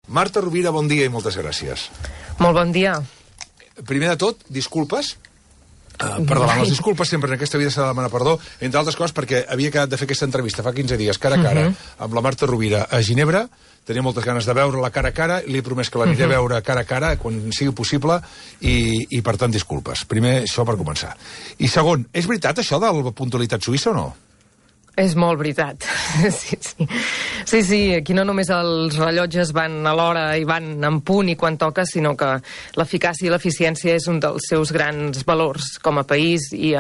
Marta Rovira, bon dia i moltes gràcies. Molt bon dia. Primer de tot, disculpes. Per davant les disculpes sempre en aquesta vida s'ha de demanar perdó, entre altres coses perquè havia quedat de fer aquesta entrevista fa 15 dies, cara a cara, amb la Marta Rovira a Ginebra. Tenia moltes ganes de veure-la cara a cara i li he promès que l'aniré a veure cara a cara quan sigui possible i per tant, disculpes. Primer, això per començar. I segon, és veritat això de la puntualitat suïssa o no? És molt veritat. Sí, aquí no només els rellotges van a l'hora i van en punt i quan toca, sinó que l'eficàcia i l'eficiència és un dels seus grans valors com a país i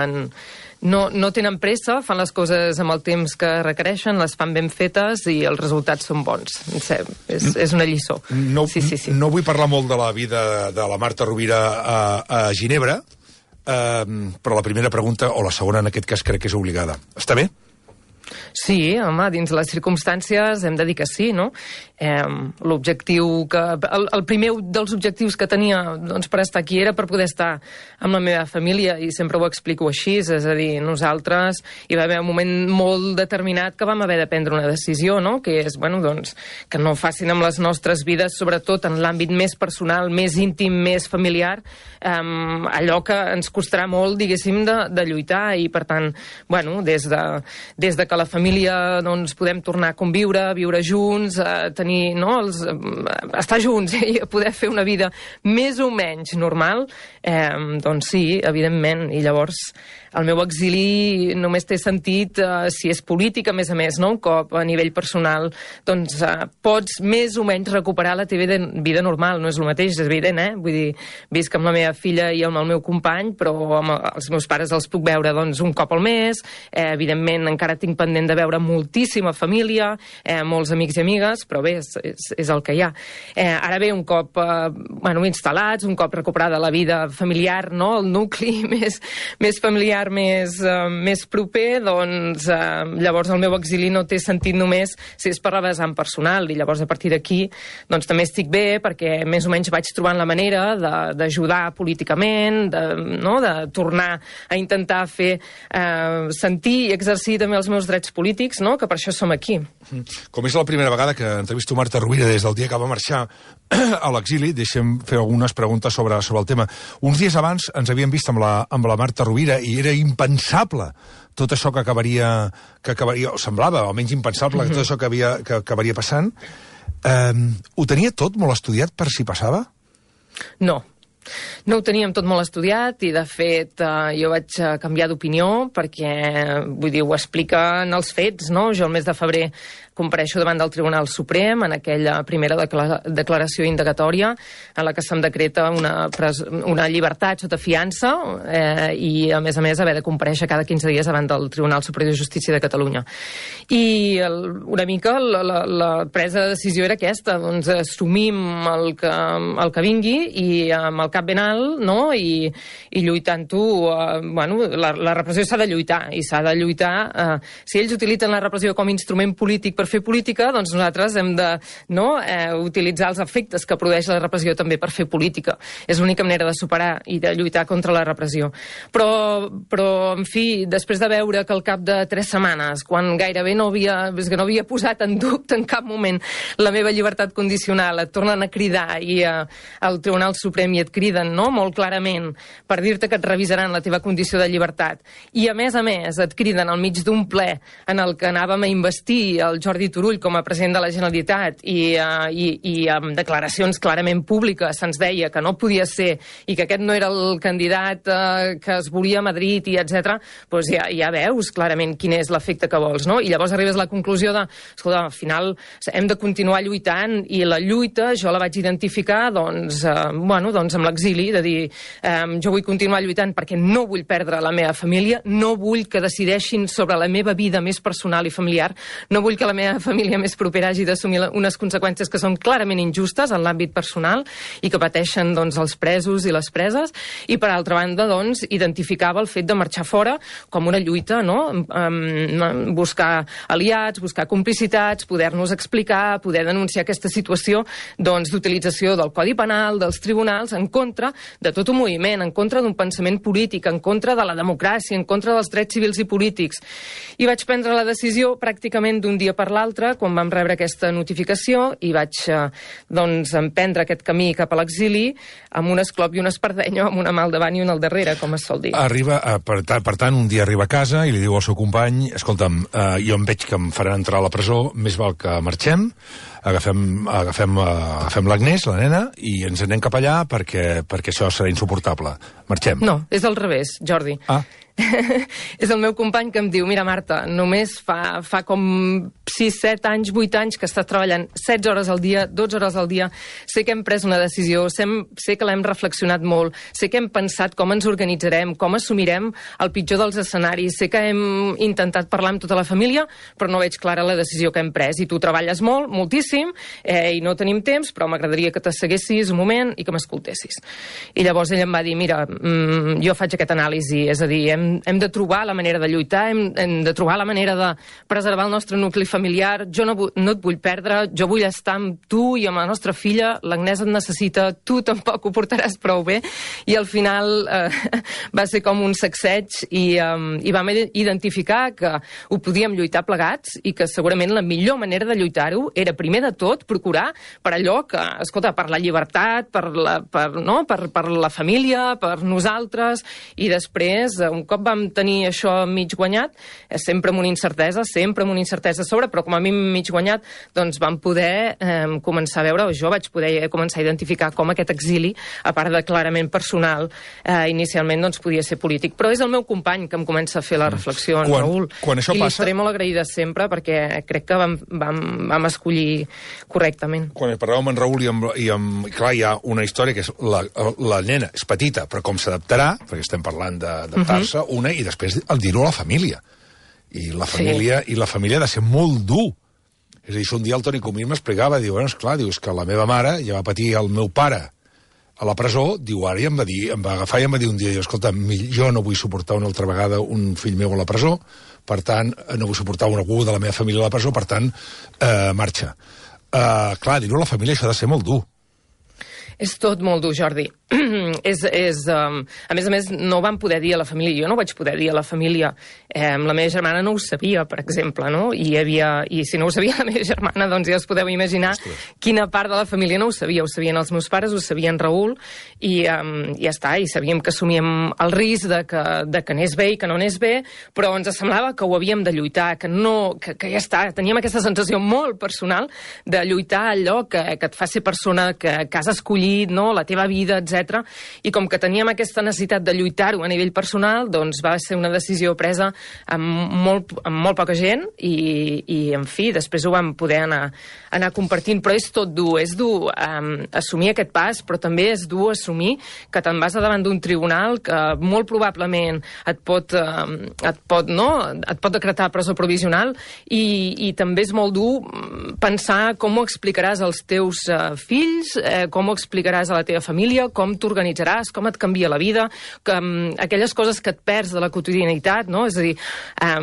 no tenen pressa, fan les coses amb el temps que requereixen, les fan ben fetes i els resultats són bons. És una lliçó. No vull parlar molt de la vida de la Marta Rovira a Ginebra, però la primera pregunta, o la segona en aquest cas, crec que és obligada. Està bé? Sí, home, dins les circumstàncies hem de dir que sí, no? L'objectiu que... El primer dels objectius que tenia doncs, per estar aquí era per poder estar amb la meva família i sempre ho explico així, és a dir, nosaltres hi va haver un moment molt determinat que vam haver de prendre una decisió, no? Que és, bueno, doncs, que no facin amb les nostres vides, sobretot en l'àmbit més personal, més íntim, més familiar, allò que ens costarà molt, diguéssim, de lluitar i, per tant, bueno, des de que la família doncs, podem tornar a conviure, a viure junts, a tenir, no, estar junts i a poder fer una vida més o menys normal, doncs sí, evidentment. I llavors el meu exili només té sentit si és polític, a més, no? Un cop a nivell personal, doncs pots més o menys recuperar la teva vida normal. No és el mateix, és evident, Vull dir, visc amb la meva filla i amb el meu company, però amb els meus pares els puc veure doncs, un cop al mes. Evidentment, encara tinc pendent de veure moltíssima família, molts amics i amigues, però bé, és el que hi ha. Ara bé, un cop instal·lats, un cop recuperada la vida familiar, no? El nucli més familiar, més proper, doncs llavors el meu exili no té sentit només si és per la vessant personal, i llavors a partir d'aquí doncs també estic bé perquè més o menys vaig trobant la manera d'ajudar políticament, de tornar a intentar fer sentir i exercir també els meus drets polítics, no? Que per això som aquí. Com és la primera vegada que entrevisto Marta Rovira des del dia que va marxar a l'exili, deixem fer algunes preguntes sobre el tema. Uns dies abans ens havíem vist amb la Marta Rovira i era impensable tot això que acabaria, o semblava, almenys impensable, tot això que acabaria passant. Ho tenia tot molt estudiat per si passava? No ho teníem tot molt estudiat i, de fet, jo vaig canviar d'opinió perquè, vull dir, ho expliquen els fets, no? Jo el mes de febrer compareixo davant del Tribunal Suprem en aquella primera declaració indagatòria en la que se'm decreta una llibertat sota fiança i, a més, haver de comparèixer cada 15 dies davant del Tribunal Superior de Justícia de Catalunya. I una mica la presa de decisió era aquesta, doncs assumim el que vingui i amb el cap ben alt, no? I lluitant-ho, la repressió s'ha de lluitar i s'ha de lluitar. Si ells utilitzen la repressió com a instrument polític per fer política, doncs nosaltres hem de utilitzar els efectes que produeix la repressió també per fer política. És l'única manera de superar i de lluitar contra la repressió. Però en fi, després de veure que al cap de 3 setmanes, quan gairebé no havia posat en dubte en cap moment la meva llibertat condicional, et tornen a cridar i al Tribunal Suprem i et criden, no?, molt clarament per dir-te que et revisaran la teva condició de llibertat i, a més, et criden al mig d'un ple en el que anàvem a investir el Jordi Turull com a president de la Generalitat i amb declaracions clarament públiques se'ns deia que no podia ser i que aquest no era el candidat que es volia a Madrid i etc., doncs ja veus clarament quin és l'efecte que vols, no? I llavors arribes a la conclusió escolta, al final hem de continuar lluitant i la lluita jo la vaig identificar amb l'exili, de dir jo vull continuar lluitant perquè no vull perdre la meva família, no vull que decideixin sobre la meva vida més personal i familiar, no vull que la meva família més propera hagi d'assumir unes conseqüències que són clarament injustes en l'àmbit personal i que pateixen els presos i les preses, i per altra banda identificava el fet de marxar fora com una lluita, no? Buscar aliats, buscar complicitats, poder-nos explicar, poder denunciar aquesta situació d'utilització del Codi Penal, dels tribunals, en contra de tot un moviment, en contra d'un pensament polític, en contra de la democràcia, en contra dels drets civils i polítics. I vaig prendre la decisió pràcticament d'un dia per l'altra, quan vam rebre aquesta notificació, i vaig emprendre aquest camí cap a l'exili amb un esclop i una espardenya, amb una mà al davant i una al darrere, com es sol dir. Per tant, un dia arriba a casa i li diu al seu company: escolta'm, jo em veig que em faran entrar a la presó, més val que marxem, agafem l'Agnès, la nena, i ens anem cap allà perquè això serà insuportable. Marxem. No, és al revés, Jordi. És el meu company que em diu: mira, Marta, només fa com 6, 7 anys, 8 anys que estàs treballant 16 hores al dia, 12 hores al dia. Sé que hem pres una decisió, sé que l'hem reflexionat molt, sé que hem pensat com ens organitzarem, com assumirem el pitjor dels escenaris, sé que hem intentat parlar amb tota la família, però no veig clara la decisió que hem pres. I tu treballes molt, moltíssim, i no tenim temps, però m'agradaria que t'asseguessis un moment i que m'escoltessis. I llavors ell em va dir: mira, jo faig aquest anàlisi, és a dir, hem de trobar la manera de lluitar, hem de trobar la manera de preservar el nostre nucli familiar, jo no et vull perdre, jo vull estar amb tu i amb la nostra filla, l'Agnès et necessita, tu tampoc ho portaràs prou bé. I al final va ser com un sacseig i vam identificar que ho podíem lluitar plegats i que segurament la millor manera de lluitar-ho era, primer de tot, procurar per allò que, escolta, per la llibertat, per la família, per nosaltres, i després, un cop vam tenir això mig guanyat, sempre amb una incertesa a sobre, però com a mi mig guanyat, doncs vam poder començar a veure, o jo vaig poder començar a identificar com aquest exili, a part de clarament personal, inicialment doncs podia ser polític. Però és el meu company que em comença a fer la reflexió, en Raül. Quan això passa... I li estaré molt agraïda sempre, perquè crec que vam escollir correctament. Quan parlàvem amb en Raül clar, hi ha una història que és la nena és petita, però com s'adaptarà, perquè estem parlant d'adaptar-se, una, i després el dir-ho a la família. I la família ha de ser molt dur. És a dir, un dia el Toni Comín m'explicava, diu, bueno, esclar, diu, és que la meva mare ja va patir el meu pare a la presó, diu, ara em va agafar i em va dir un dia, diu, escolta, jo no vull suportar una altra vegada un fill meu a la presó, per tant, no vull suportar algú de la meva família a la presó, per tant, marxa. Clar, dir-ho a la família això ha de ser molt dur. És tot molt dur, Jordi. A més, no vam poder dir a la família, jo no vaig poder dir a la família, la meva germana no ho sabia, per exemple, no? I si no ho sabia la meva germana, doncs ja us podeu imaginar quina part de la família no ho sabia. Ho sabien els meus pares, ho sabien Raül, i ja està, i sabíem que assumíem el risc de que anés bé i que no anés bé, però ens semblava que ho havíem de lluitar, que ja està, teníem aquesta sensació molt personal de lluitar allò que et fa ser persona que has escollit, no? La teva vida, etc. I com que teníem aquesta necessitat de lluitar-ho a nivell personal, doncs va ser una decisió presa amb molt poca gent i en fi, després ho vam poder anar compartint, però és tot dur, assumir aquest pas, però també és dur assumir que te'n vas davant d'un tribunal que molt probablement et pot decretar presó provisional i també és molt dur pensar com ho explicaràs als teus fills, com ho explicaràs a la teva família, com t'organitzaràs, com et canvia la vida, aquelles coses que et perds de la quotidianitat, no? És a dir,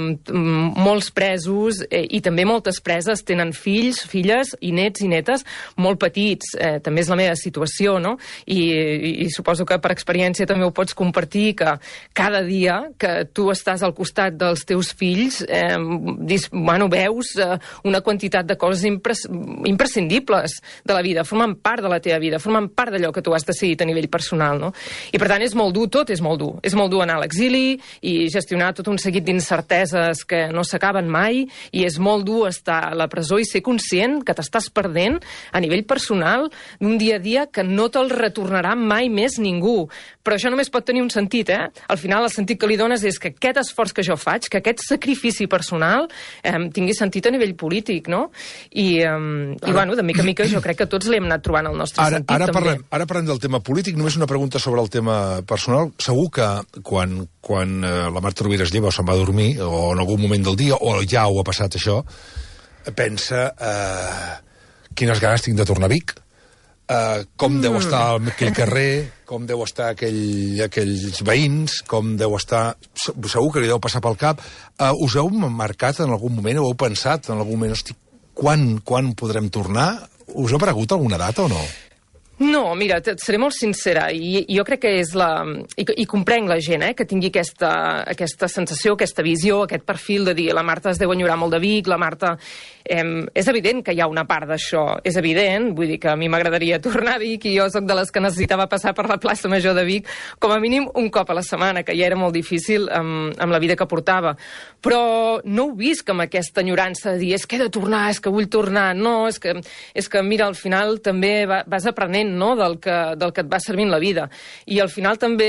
molts presos i també moltes preses tenen fills, filles i nets i netes molt petits. També és la meva situació, no? I suposo que per experiència també ho pots compartir, que cada dia que tu estàs al costat dels teus fills veus una quantitat de coses imprescindibles de la vida, formen part de la teva vida, formen part d'allò que tu has decidit a nivell personal, no? I per tant és molt dur, tot és molt dur. És molt dur anar a l'exili i gestionar tot un seguit d'incerteses que no s'acaben mai, i és molt dur estar a la presó i ser conscient que t'estàs perdent a nivell personal d'un dia a dia que no te'l retornarà mai més ningú. Però això només pot tenir un sentit, Al final el sentit que li dones és que aquest esforç que jo faig, que aquest sacrifici personal tingui sentit a nivell polític, no? I bueno, de mica en mica jo crec que tots li hem anat trobant el nostre sentit, també. Ara parlem del tema polític, només una pregunta sobre el tema personal. Segur que quan la Marta Rovira es lleva o se'n va a dormir, o en algun moment del dia, o ja ho ha passat això, pensa quines ganes tinc de tornar a Vic, com deu estar aquell carrer, com deu estar aquells veïns, com deu estar... Segur que li deu passar pel cap. Us heu marcat en algun moment, o heu pensat en algun moment, hosti, quan podrem tornar? Us ha aparegut alguna data o no? No, mira, seré molt sincera, i jo crec que és I comprenc la gent, que tingui aquesta sensació, aquesta visió, aquest perfil de dir la Marta es deu enyorar molt de Vic, la Marta... és evident que hi ha una part d'això, és evident, vull dir que a mi m'agradaria tornar a Vic i jo sóc de les que necessitava passar per la plaça Major de Vic com a mínim un cop a la setmana, que ja era molt difícil amb la vida que portava. Però no ho visc amb aquesta enyorança de dir és que he de tornar, és que vull tornar. No, és que mira, al final també vas aprenent, no?, del que et va servint la vida. I al final també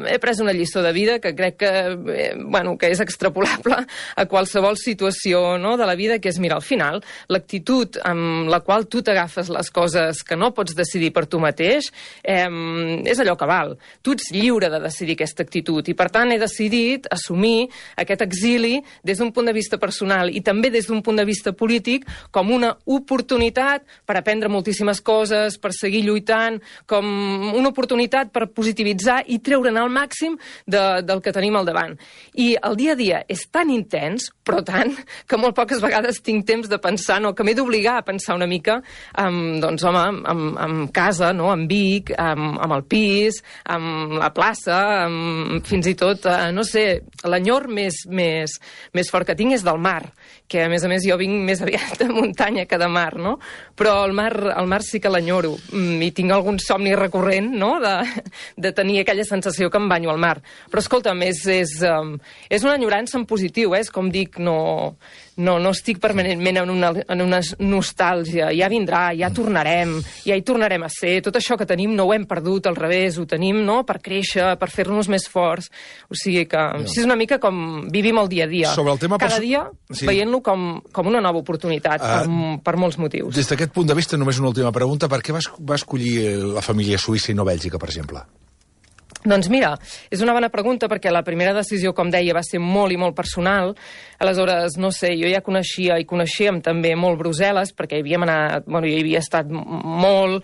he pres una lliçó de vida que crec que és extrapolable a qualsevol situació, no?, de la vida, que és, mira, al final, l'actitud amb la qual tu t'agafes les coses que no pots decidir per tu mateix és allò que val. Tu ets lliure de decidir aquesta actitud i, per tant, he decidit assumir aquest exili des d'un punt de vista personal i també des d'un punt de vista polític com una oportunitat per aprendre moltíssimes coses, per seguir lluitant, com una oportunitat per positivitzar i treure'n el màxim del que tenim al davant. I el dia a dia és tan intens, però tant, que molt poques vegades tinc temps de pensar, no, que m'he d'obligar a pensar una mica amb casa, no, amb Vic, amb el pis, amb la plaça, fins i tot, no sé, l'enyor més fort que tinc és del mar, que a més jo vinc més aviat de muntanya que de mar, no? Però el mar sí que l'enyoro i tinc algun somni recurrent, no?, de tenir aquella sensació que em banyo al mar. Però escolta'm, és una enyorança en positiu, és com dic, no estic permanentment en una nostàlgia. Ja vindrà, ja tornarem, ja hi tornarem a ser. Tot això que tenim no ho hem perdut, al revés, ho tenim, no?, per créixer, per fer-nos més forts. O sigui que és una mica com vivim el dia a dia. Cada dia veient-lo com una nova oportunitat, per molts motius. Des d'aquest punt de vista, només una última pregunta. Per què va escollir la família suïssa i no Bèlgica, per exemple? Doncs mira, és una bona pregunta perquè la primera decisió, com deia, va ser molt i molt personal. Aleshores, no sé, jo ja coneixíem també molt Brussel·les perquè hi havíem anat, jo hi havia estat molt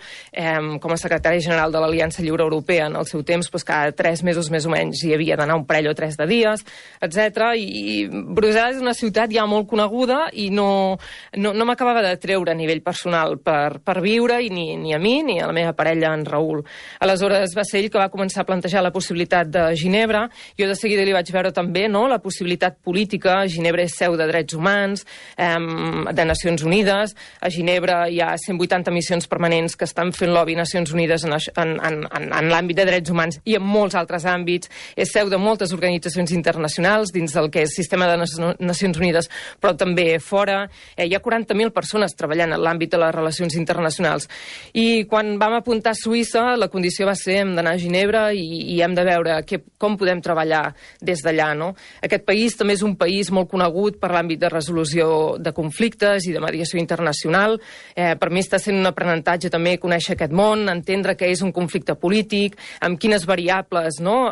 com a secretari general de l'Aliança Lliure Europea en el seu temps, doncs cada 3 mesos més o menys hi havia d'anar un parell o 3 de dies, etc. I Brussel·les és una ciutat ja molt coneguda i no m'acabava de treure a nivell personal per viure, i ni a mi ni a la meva parella, en Raül. Aleshores va ser ell que va començar a plantejar la possibilitat de Ginebra. Jo de seguida li vaig veure també, no?, la possibilitat política. Ginebra és seu de drets humans, de Nacions Unides. A Ginebra hi ha 180 missions permanents que estan fent lobby a Nacions Unides en l'àmbit de drets humans i en molts altres àmbits. És seu de moltes organitzacions internacionals dins del que és sistema de Nacions Unides, però també fora. Hi ha 40.000 persones treballant en l'àmbit de les relacions internacionals. I quan vam apuntar a Suïssa, la condició va ser hem d'anar a Ginebra i hem de veure com podem treballar des d'allà, no? Aquest país també és un país molt conegut per l'àmbit de resolució de conflictes i de mediació internacional. Per mi està sent un aprenentatge també conèixer aquest món, entendre què és un conflicte polític, amb quines variables, no?,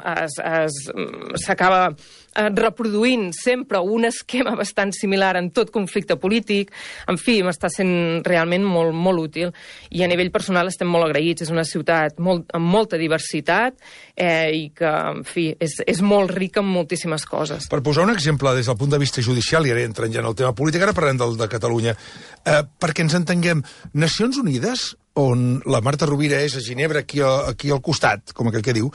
s'acaba reproduint sempre un esquema bastant similar en tot conflicte polític. En fi, m'està sent realment molt, molt útil. I a nivell personal estem molt agraïts. És una ciutat amb molta diversitat i que, en fi, és molt rica en moltíssimes coses. Per posar un exemple des del punt de vista judicial, i ara entrant ja en el tema polític, ara parlem de Catalunya, perquè ens entenguem, Nacions Unides, on la Marta Rovira és a Ginebra, aquí al costat, com aquell que diu,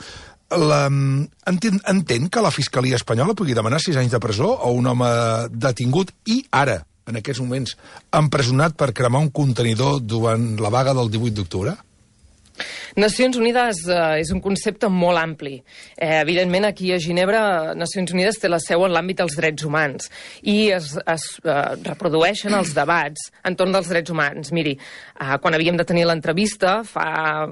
entén que la Fiscalia espanyola pugui demanar 6 anys de presó a un home detingut i ara, en aquests moments, empresonat per cremar un contenidor durant la vaga del 18 d'octubre? Nacions Unides és un concepte molt ampli. Evidentment, aquí a Ginebra, Nacions Unides té la seu en l'àmbit dels drets humans i es reprodueixen els debats entorn dels drets humans. Miri, quan havíem de tenir l'entrevista, fa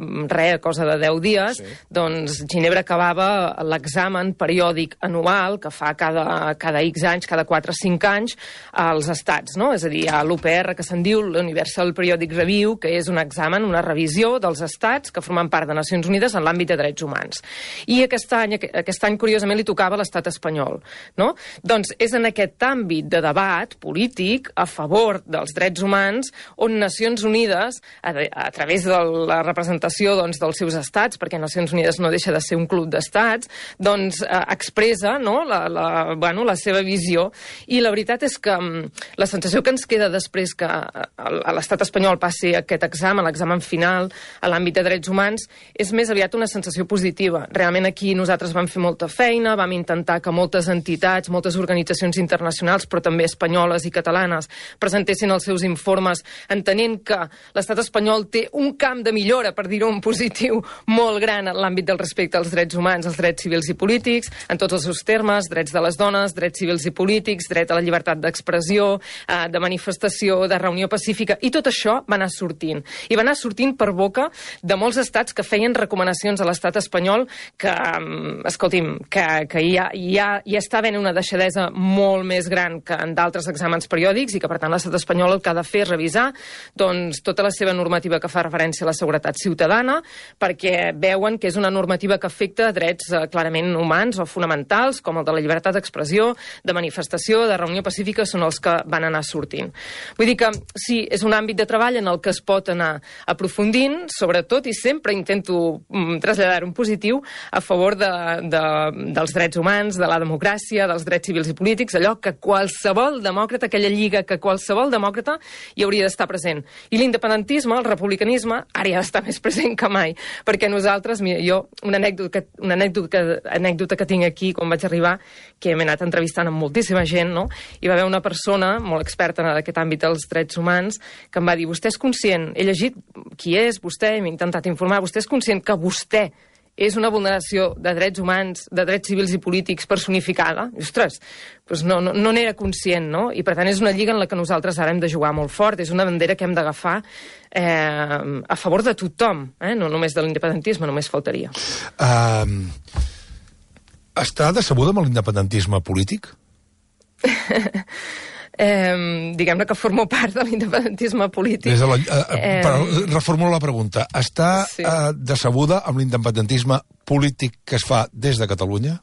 cosa de 10 dies, doncs Ginebra acabava l'examen periòdic anual que fa cada X anys, cada 4 o 5 anys, als estats, no? És a dir, hi ha l'UPR, que se'n diu l'Universal Periodic Review, que és un examen, una revisió dels estats que formant part de Nacions Unides en l'àmbit de drets humans. I aquest any curiosament, li tocava a l'estat espanyol. No? Doncs és en aquest àmbit de debat polític a favor dels drets humans on Nacions Unides, a través de la representació dels seus estats, perquè Nacions Unides no deixa de ser un club d'estats, doncs expressa la seva visió. I la veritat és que la sensació que ens queda després que a l'estat espanyol passi aquest examen, l'examen final a l'àmbit de drets humans, és més aviat una sensació positiva. Realment aquí nosaltres vam fer molta feina, vam intentar que moltes entitats, moltes organitzacions internacionals, però també espanyoles i catalanes, presentessin els seus informes, entenent que l'estat espanyol té un camp de millora, per dir-ho en positiu, molt gran en l'àmbit del respecte als drets humans, als drets civils i polítics, en tots els seus termes, drets de les dones, drets civils i polítics, dret a la llibertat d'expressió, de manifestació, de reunió pacífica, i tot això va anar sortint. I va anar sortint per boca de molts estats que feien recomanacions a l'estat espanyol que, escolti'm, que ja està havent una deixadesa molt més gran que en d'altres exàmens periòdics i que, per tant, l'estat espanyol el que ha de fer és revisar tota la seva normativa que fa referència a la seguretat ciutadana, perquè veuen que és una normativa que afecta drets clarament humans o fonamentals, com el de la llibertat d'expressió, de manifestació, de reunió pacífica, són els que van anar sortint. Vull dir que sí, és un àmbit de treball en el que es pot anar aprofundint, sobretot, i sempre intento traslladar un positiu a favor dels drets humans, de la democràcia, dels drets civils i polítics, allò que qualsevol demòcrata, aquella lliga que qualsevol demòcrata hi hauria d'estar present. I l'independentisme, el republicanisme, ara hi ha d'estar més present que mai, perquè nosaltres, mira, jo, una anècdota que tinc aquí quan vaig arribar, que m'he anat entrevistant amb moltíssima gent, no? Hi va haver una persona molt experta en aquest àmbit dels drets humans que em va dir, vostè és conscient, he llegit qui és vostè, m'he intentat informar, vostè és conscient que vostè és una vulneració de drets humans, de drets civils i polítics personificada? I, ostres, doncs no n'era conscient, no? I per tant és una lliga en la que nosaltres ara hem de jugar molt fort, és una bandera que hem d'agafar a favor de tothom, no només de l'independentisme, només faltaria. Està decebuda amb l'independentisme polític? Diguem-ne que formo part de l'independentisme polític. Reformulo la pregunta. Està decebuda amb l'independentisme polític que es fa des de Catalunya?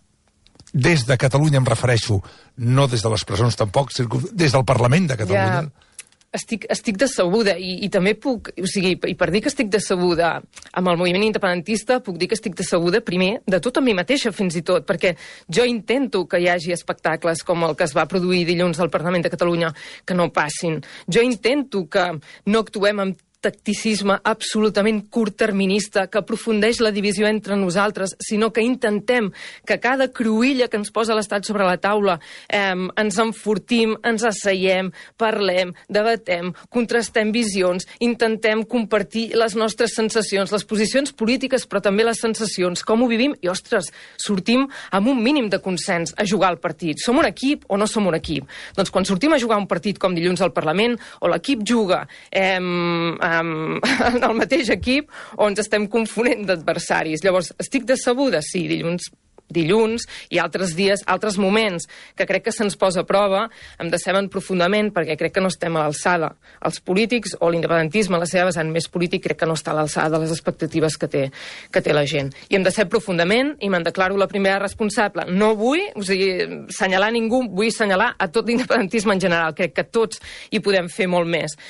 Des de Catalunya em refereixo, no des de les presons tampoc, des del Parlament de Catalunya? Ja. Estic decebuda i també puc, o sigui, i per dir que estic decebuda amb el moviment independentista, puc dir que estic decebuda primer de tot amb mi mateixa fins i tot, perquè jo intento que hi hagi espectacles com el que es va produir dilluns al Parlament de Catalunya que no passin. Jo intento que no actuem amb tacticisme absolutament curtterminista que aprofundeix la divisió entre nosaltres, sinó que intentem que cada cruïlla que ens posa l'Estat sobre la taula ens enfortim, ens asseiem, parlem, debatem, contrastem visions, intentem compartir les nostres sensacions, les posicions polítiques, però també les sensacions, com ho vivim, i, ostres, sortim amb un mínim de consens a jugar al partit. Som un equip o no som un equip? Doncs quan sortim a jugar un partit com dilluns al Parlament, o l'equip juga en el mateix equip o ens estem confonent d'adversaris. Llavors, estic decebuda? Sí, dilluns i altres dies, altres moments que crec que se'ns posa a prova, em deceben profundament perquè crec que no estem a l'alçada. Els polítics o l'independentisme, la seva vessant més polític, crec que no està a l'alçada de les expectatives que té la gent. I em decep profundament i me'n declaro la primera responsable. No vull, assenyalar ningú, vull assenyalar a tot l'independentisme en general. Crec que tots hi podem fer molt més.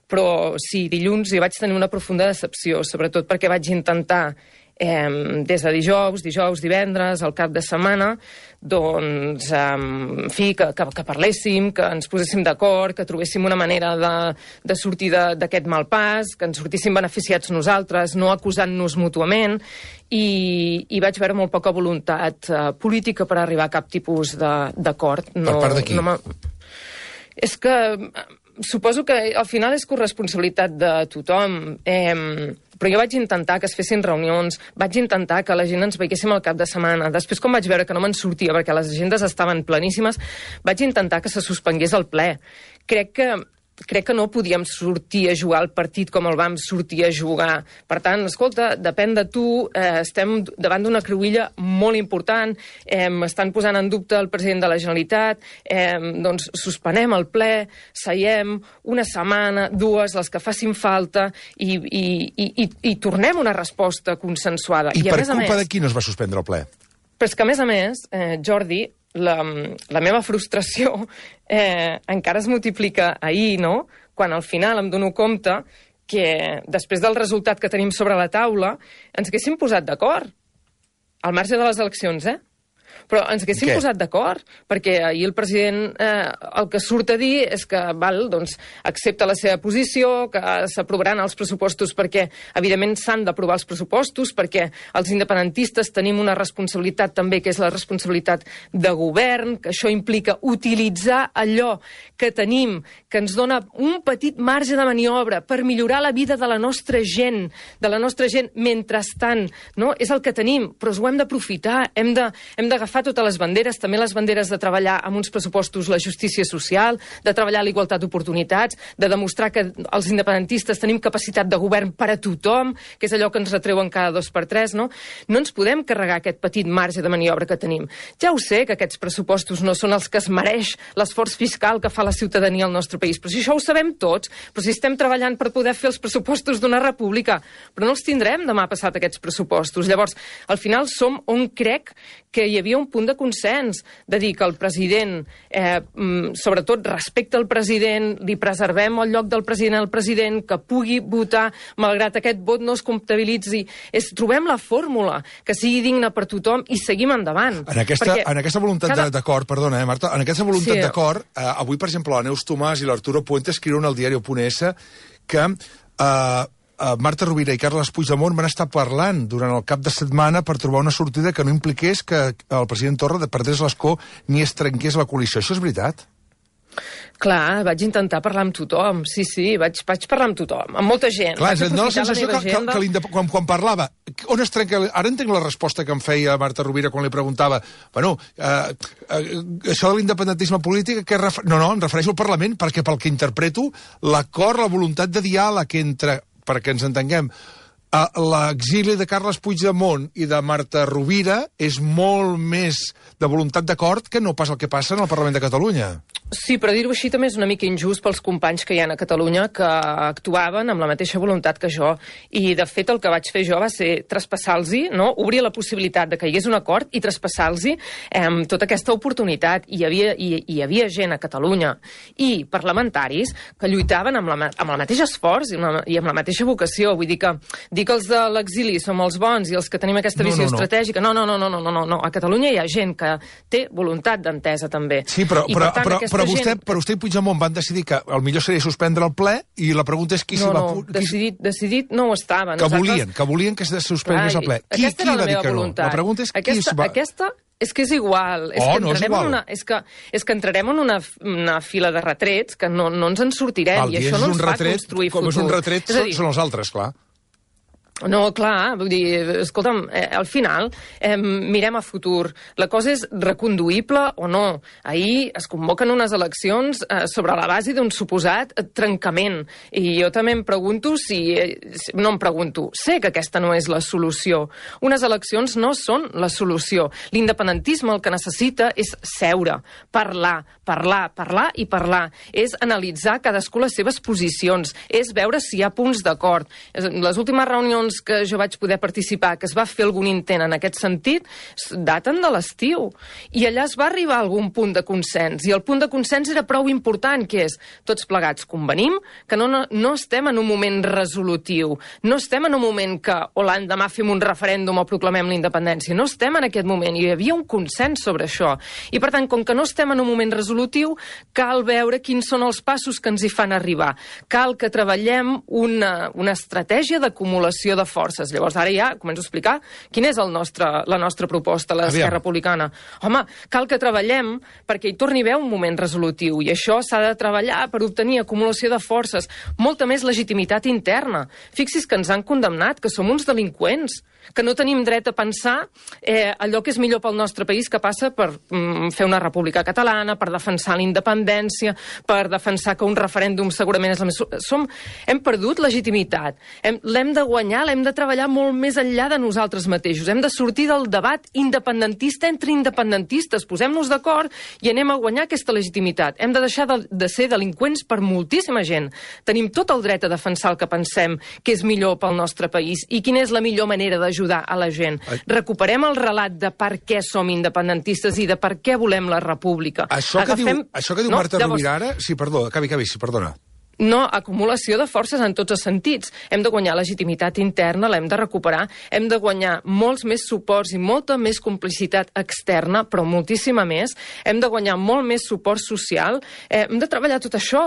Però sí, dilluns hi vaig tenir una profunda decepció, sobretot perquè vaig intentar des de dijous, divendres, al cap de setmana, doncs, en fi, que parléssim, que ens poséssim d'acord, que trobéssim una manera de sortir d'aquest mal pas, que ens sortíssim beneficiats nosaltres, no acusant-nos mútuament, i vaig veure molt poca voluntat política per arribar a cap tipus d'acord. Per part de qui? És que suposo que al final és corresponsabilitat de tothom, però jo vaig intentar que es fessin reunions, vaig intentar que la gent ens veiéssim al cap de setmana. Després, quan vaig veure que no me'n sortia perquè les agendes estaven pleníssimes, vaig intentar que se suspengués el ple. Crec crec que no podíem sortir a jugar el partit com el vam sortir a jugar. Per tant, escolta, depèn de tu, estem davant d'una cruïlla molt important, estan posant en dubte el president de la Generalitat, doncs suspenem el ple, seiem una setmana, dues, les que facin falta, i tornem una resposta consensuada. I per culpa de qui no es va suspendre el ple? Però és que, a més, Jordi, la meva frustració encara es multiplica ahir, no? Quan al final em dono compte que després del resultat que tenim sobre la taula ens haguéssim posat d'acord, al marge de les eleccions, però ens haguéssim posat d'acord, perquè ahir el president el que surt a dir és que accepta la seva posició, que s'aprovaran els pressupostos perquè, evidentment, s'han d'aprovar els pressupostos, perquè els independentistes tenim una responsabilitat també, que és la responsabilitat de govern, que això implica utilitzar allò que tenim, que ens dona un petit marge de maniobra per millorar la vida de la nostra gent, mentrestant, no? És el que tenim, però ho hem d'aprofitar, hem d'agafar totes les banderes, també les banderes de treballar amb uns pressupostos la justícia social, de treballar la igualtat d'oportunitats, de demostrar que els independentistes tenim capacitat de govern per a tothom, que és allò que ens retreuen cada 2x3, no? No ens podem carregar aquest petit marge de maniobra que tenim. Ja ho sé que aquests pressupostos no són els que es mereix l'esforç fiscal que fa la ciutadania al nostre país, però si això ho sabem tots, però si estem treballant per poder fer els pressupostos d'una república, però no els tindrem demà passat aquests pressupostos. Llavors, al final som on crec que hi havia un punt de consens, de dir que el president, sobretot respecte al president, li preservem el lloc del president al president, que pugui votar, malgrat aquest vot no es comptabilitzi. Trobem la fórmula que sigui digna per tothom i seguim endavant. En aquesta voluntat d'acord, perdona, Marta, en aquesta voluntat d'acord, avui, per exemple, la Neus Tomàs i l'Arturo Puente escriuen al diario.es que Marta Rovira i Carles Puigdemont van estar parlant durant el cap de setmana per trobar una sortida que no impliqués que el president Torra perdés l'escó ni es trenqués la coalició. Això és veritat? Clar, vaig intentar parlar amb tothom, sí, vaig parlar amb tothom, amb molta gent. Clar, no la sensació que quan parlava, on es trenca... Ara entenc la resposta que em feia Marta Rovira quan li preguntava, bueno, això de l'independentisme polític, no, em refereixo al Parlament, perquè pel que interpreto, l'acord, la voluntat de diàleg entre, perquè ens entenguem, l'exili de Carles Puigdemont i de Marta Rovira és molt més de voluntat d'acord que no pas el que passa en el Parlament de Catalunya. Sí, però dir-ho així també és una mica injust pels companys que hi ha a Catalunya que actuaven amb la mateixa voluntat que jo. I, de fet, el que vaig fer jo va ser traspassar-los, no? Obrir la possibilitat de que hi hagués un acord i traspassar-los tota aquesta oportunitat. Hi havia gent a Catalunya i parlamentaris que lluitaven amb el mateix esforç i amb la mateixa vocació. Vull dir que els de l'exili som els bons i els que tenim aquesta visió estratègica... No. A Catalunya hi ha gent que té voluntat d'entesa, també. Sí, però vostè i Puigdemont van decidir que el millor seria suspendre el ple i la pregunta és qui s'hi va... Decidit no ho estaven. Que volien que se suspengués el ple. Qui va dir que no? La pregunta és qui es va... És que és igual. No és igual. És que entrarem en una fila de retrets que no ens en sortirem, i això no ens fa construir futur. Com és un retret, són els altres, clar. No, clar, vull dir, escolta'm, al final mirem a futur. La cosa és reconduïble o no. Ahir es convoquen unes eleccions sobre la base d'un suposat trencament. I jo també em pregunto no em pregunto, sé que aquesta no és la solució. Unes eleccions no són la solució. L'independentisme el que necessita és seure, parlar. És analitzar cadascú les seves posicions, és veure si hi ha punts d'acord. Les últimes reunions que jo vaig poder participar, que es va fer algun intent en aquest sentit, daten de l'estiu. I allà es va arribar a algun punt de consens. I el punt de consens era prou important, que és, tots plegats convenim que no estem en un moment resolutiu. No estem en un moment que l'endemà fem un referèndum o proclamem la independència. No estem en aquest moment. I hi havia un consens sobre això. I, per tant, com que no estem en un moment resolutiu, cal veure quins són els passos que ens hi fan arribar. Cal que treballem una estratègia d'acumulació acumulació de forces. Llavors, ara ja començo a explicar quina és la nostra proposta, l'Esquerra Republicana. Home, cal que treballem perquè hi torni a haver un moment resolutiu, i això s'ha de treballar per obtenir acumulació de forces, molta més legitimitat interna. Fixi's que ens han condemnat, que som uns delinqüents, que no tenim dret a pensar allò que és millor pel nostre país, que passa per fer una república catalana, per defensar la independència, per defensar que un referèndum segurament és la més... Hem perdut legitimitat, l'hem de guanyar, l'hem de treballar molt més enllà de nosaltres mateixos, hem de sortir del debat independentista entre independentistes, posem-nos d'acord i anem a guanyar aquesta legitimitat. Hem de deixar de ser delinqüents per moltíssima gent. Tenim tot el dret a defensar el que pensem que és millor pel nostre país i quina és la millor manera d'ajudar a la gent. Recuperem el relat de per què som independentistes i de per què volem la república. Això que diu Marta Rovira ara... Sí, perdó, acabi, sí, perdona. No, acumulació de forces en tots els sentits. Hem de guanyar legitimitat interna, l'hem de recuperar, hem de guanyar molts més suports i molta més complicitat externa, però moltíssima més. Hem de guanyar molt més suport social, hem de treballar tot això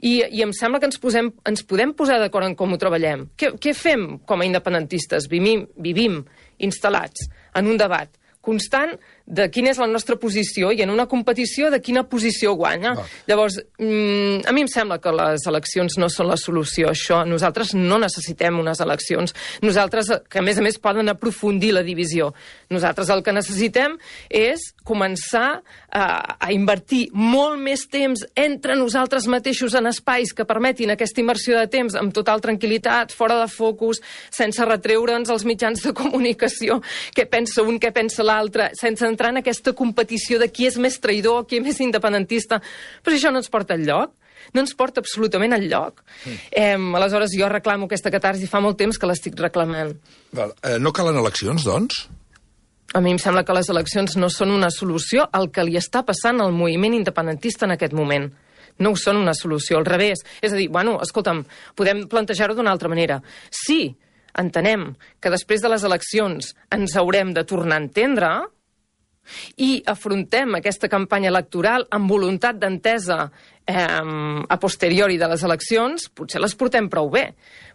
i em sembla que ens podem posar d'acord en com ho treballem. Què fem com a independentistes? Vivim instal·lats en un debat constant de quina és la nostra posició i en una competició de quina posició guanya. Llavors, a mi em sembla que les eleccions no són la solució a això. Nosaltres no necessitem unes eleccions. Nosaltres, que a més poden aprofundir la divisió. Nosaltres el que necessitem és començar a invertir molt més temps entre nosaltres mateixos en espais que permetin aquesta inversió de temps amb total tranquil·litat, fora de focus, sense retreure'ns els mitjans de comunicació, què pensa un, què pensa l'altre, sense entrar en aquesta competició de qui és més traïdor, qui és més independentista. Però això no ens porta enlloc. No ens porta absolutament enlloc. Aleshores, jo reclamo aquesta catarsi, fa molt temps que l'estic reclamant. No calen eleccions, doncs? A mi em sembla que les eleccions no són una solució al que li està passant al moviment independentista en aquest moment. No ho són una solució, al revés. És a dir, escolta'm, podem plantejar-ho d'una altra manera. Sí, entenem que després de les eleccions ens haurem de tornar a entendre i afrontem aquesta campanya electoral amb voluntat d'entesa a posteriori de les eleccions, potser les portem prou bé.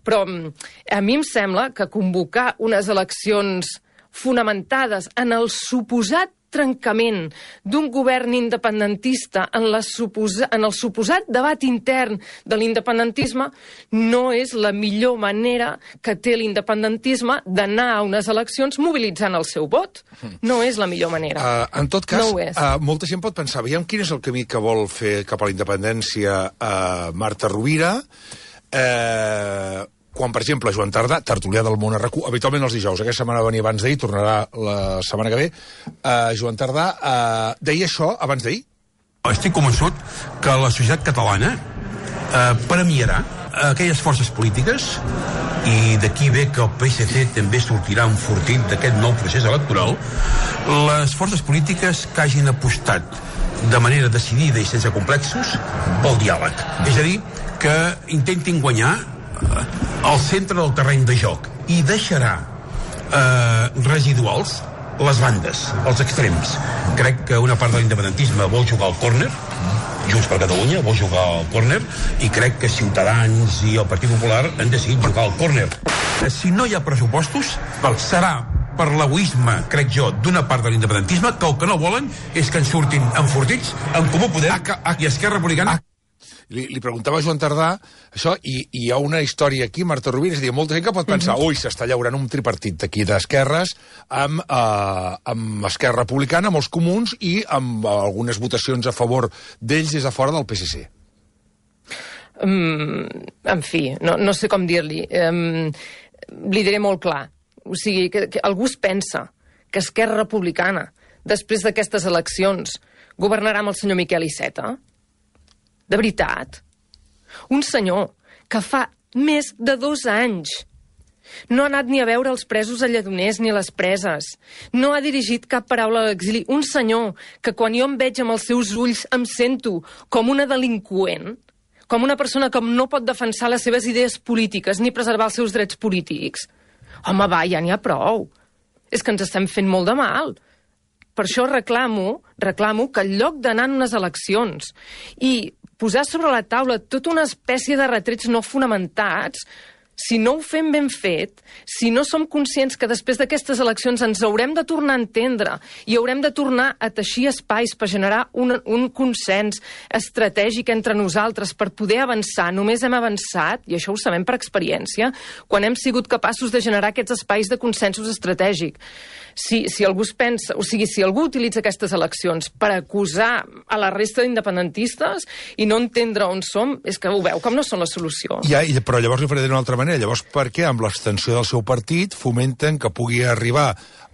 Però a mi em sembla que convocar unes eleccions fonamentades en el suposat trencament d'un govern independentista en el suposat debat intern de l'independentisme no és la millor manera que té l'independentisme d'anar a unes eleccions mobilitzant el seu vot. No és la millor manera. En tot cas, no molta gent pot pensar, veiem quin és el camí que vol fer cap a la independència Marta Rovira, quan, per exemple, Joan Tardà, tertulià del Món RQ, habitualment els dijous, aquesta setmana venia abans d'ahir, tornarà la setmana que ve, Joan Tardà deia això abans d'ahir? Estic convençut que la societat catalana premiarà aquelles forces polítiques, i d'aquí ve que el PSC també sortirà enfortit d'aquest nou procés electoral, les forces polítiques que hagin apostat de manera decidida i sense complexos pel diàleg. És a dir, que intentin guanyar al centre del terreny de joc i deixarà residuals les bandes, els extrems. Crec que una part de l'independentisme vol jugar al córner, Junts per Catalunya vol jugar al córner, i crec que Ciutadans i el Partit Popular han decidit jugar al córner. Si no hi ha pressupostos, serà per l'egoisme, crec jo, d'una part de l'independentisme, que el que no volen és que en surtin enfortits en Comú Podem i Esquerra Republicana. Li preguntava a Joan Tardà això, i hi ha una història aquí, Marta Rovira, és a dir, molta gent que pot pensar, ui, s'està llaurant un tripartit d'aquí d'esquerres amb Esquerra Republicana, amb els comuns i amb algunes votacions a favor d'ells des de fora del PSC. En fi, no sé com dir-li. Li diré molt clar. O sigui, que algú es pensa que Esquerra Republicana, després d'aquestes eleccions, governarà amb el senyor Miquel Iceta? De veritat? Un senyor que fa més de 2 anys no ha anat ni a veure els presos a Lledoners ni a les preses. No ha dirigit cap paraula a l'exili. Un senyor que quan jo em veig amb els seus ulls em sento com una delinqüent, com una persona que no pot defensar les seves idees polítiques ni preservar els seus drets polítics. Home, va, ja n'hi ha prou. És que ens estem fent molt de mal. Per això reclamo que en lloc d'anar en unes eleccions i posar sobre la taula tota una espècie de retrets no fonamentats, si no ho fem ben fet, si no som conscients que després d'aquestes eleccions ens haurem de tornar a entendre i haurem de tornar a teixir espais per generar un consens estratègic entre nosaltres per poder avançar, només hem avançat, i això ho sabem per experiència, quan hem sigut capaços de generar aquests espais de consensos estratègics. Si algú es pensa, o sigui, si algú utilitza aquestes eleccions per acusar a la resta d'independentistes i no entendre on som, és que ho veu com no són la solució. Però llavors li faré d'una altra manera. Llavors, per què amb l'abstenció del seu partit fomenten que pugui arribar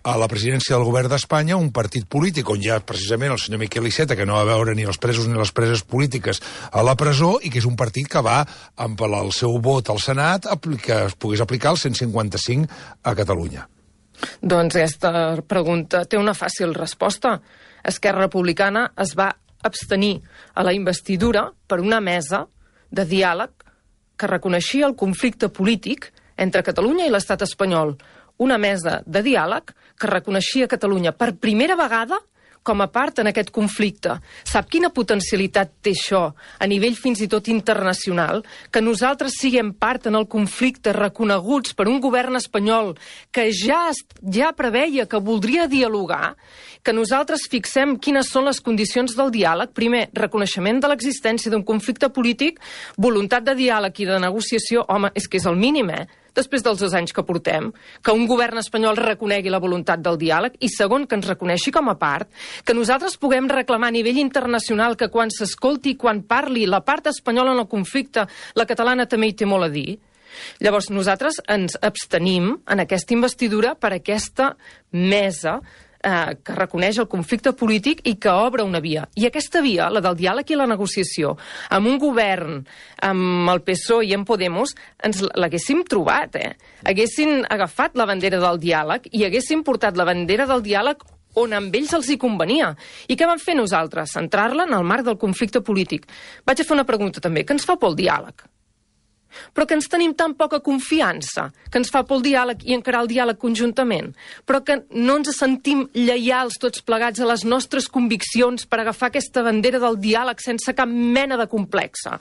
a la presidència del govern d'Espanya un partit polític on hi ha precisament el senyor Miquel Iceta, que no va veure ni els presos ni les preses polítiques a la presó, i que és un partit que va, amb el seu vot al Senat, que es pogués aplicar el 155 a Catalunya? Doncs aquesta pregunta té una fàcil resposta. Esquerra Republicana es va abstenir a la investidura per una mesa de diàleg que reconeixia el conflicte polític entre Catalunya i l'estat espanyol. Una mesa de diàleg que reconeixia Catalunya per primera vegada com a part en aquest conflicte. Sap quina potencialitat té això a nivell fins i tot internacional? Que nosaltres siguem part en el conflicte reconeguts per un govern espanyol que ja preveia que voldria dialogar, que nosaltres fixem quines són les condicions del diàleg. Primer, reconeixement de l'existència d'un conflicte polític, voluntat de diàleg i de negociació. Home, és que és el mínim, després dels 2 anys que portem, que un govern espanyol reconegui la voluntat del diàleg, i segon, que ens reconeixi com a part, que nosaltres puguem reclamar a nivell internacional que quan s'escolti, quan parli la part espanyola en el conflicte, la catalana també hi té molt a dir. Llavors, nosaltres ens abstenim en aquesta investidura per aquesta mesa que reconeix el conflicte polític i que obre una via. I aquesta via, la del diàleg i la negociació, amb un govern, amb el PSOE i amb Podemos, ens l'haguéssim trobat, Haguessin agafat la bandera del diàleg i haguéssim portat la bandera del diàleg on amb ells els hi convenia. I què vam fer nosaltres? Centrar-la en el marc del conflicte polític. Vaig a fer una pregunta també. Què ens fa por el diàleg? Però que ens tenim tan poca confiança, que ens fa por el diàleg i encarar el diàleg conjuntament, però que no ens sentim lleials tots plegats a les nostres conviccions per agafar aquesta bandera del diàleg sense cap mena de complexa.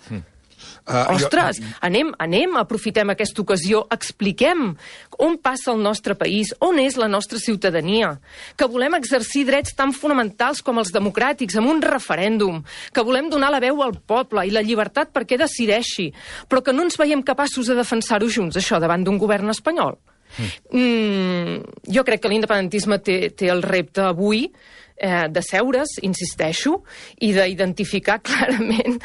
Ostres, anem, aprofitem aquesta ocasió, expliquem on passa el nostre país, on és la nostra ciutadania, que volem exercir drets tan fonamentals com els democràtics, amb un referèndum, que volem donar la veu al poble i la llibertat perquè decideixi, però que no ens veiem capaços de defensar-ho junts, això, davant d'un govern espanyol. Jo crec que l'independentisme té el repte avui de seure's, insisteixo, i d'identificar clarament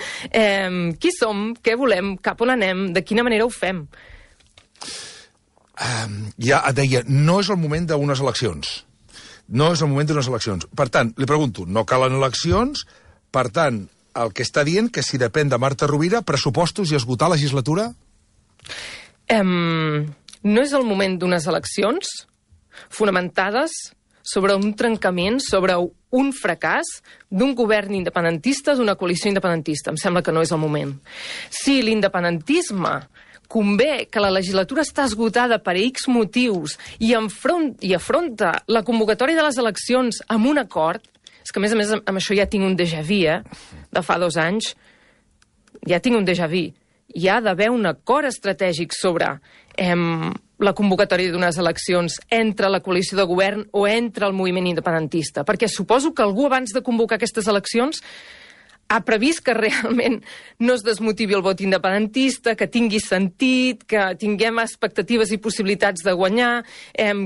qui som, què volem, cap on anem, de quina manera ho fem. Ja et deia, no és el moment d'unes eleccions. No és el moment d'unes eleccions. Per tant, li pregunto, no calen eleccions, per tant, el que està dient que si depèn de Marta Rovira, pressupostos i esgotar legislatura? No és el moment d'unes eleccions fonamentades sobre un trencament, sobre un fracàs d'un govern independentista, d'una coalició independentista. Em sembla que no és el moment. Si l'independentisme convé que la legislatura està esgotada per X motius i afronta la convocatòria de les eleccions amb un acord, és que a més amb això ja tinc un déjà vu, de fa 2 anys, ja tinc un déjà vu. Hi ha d'haver un acord estratègic sobre la convocatòria d'unes eleccions entre la coalició de govern o entre el moviment independentista. Perquè suposo que algú abans de convocar aquestes eleccions ha previst que realment no es desmotivi el vot independentista, que tingui sentit, que tinguem expectatives i possibilitats de guanyar,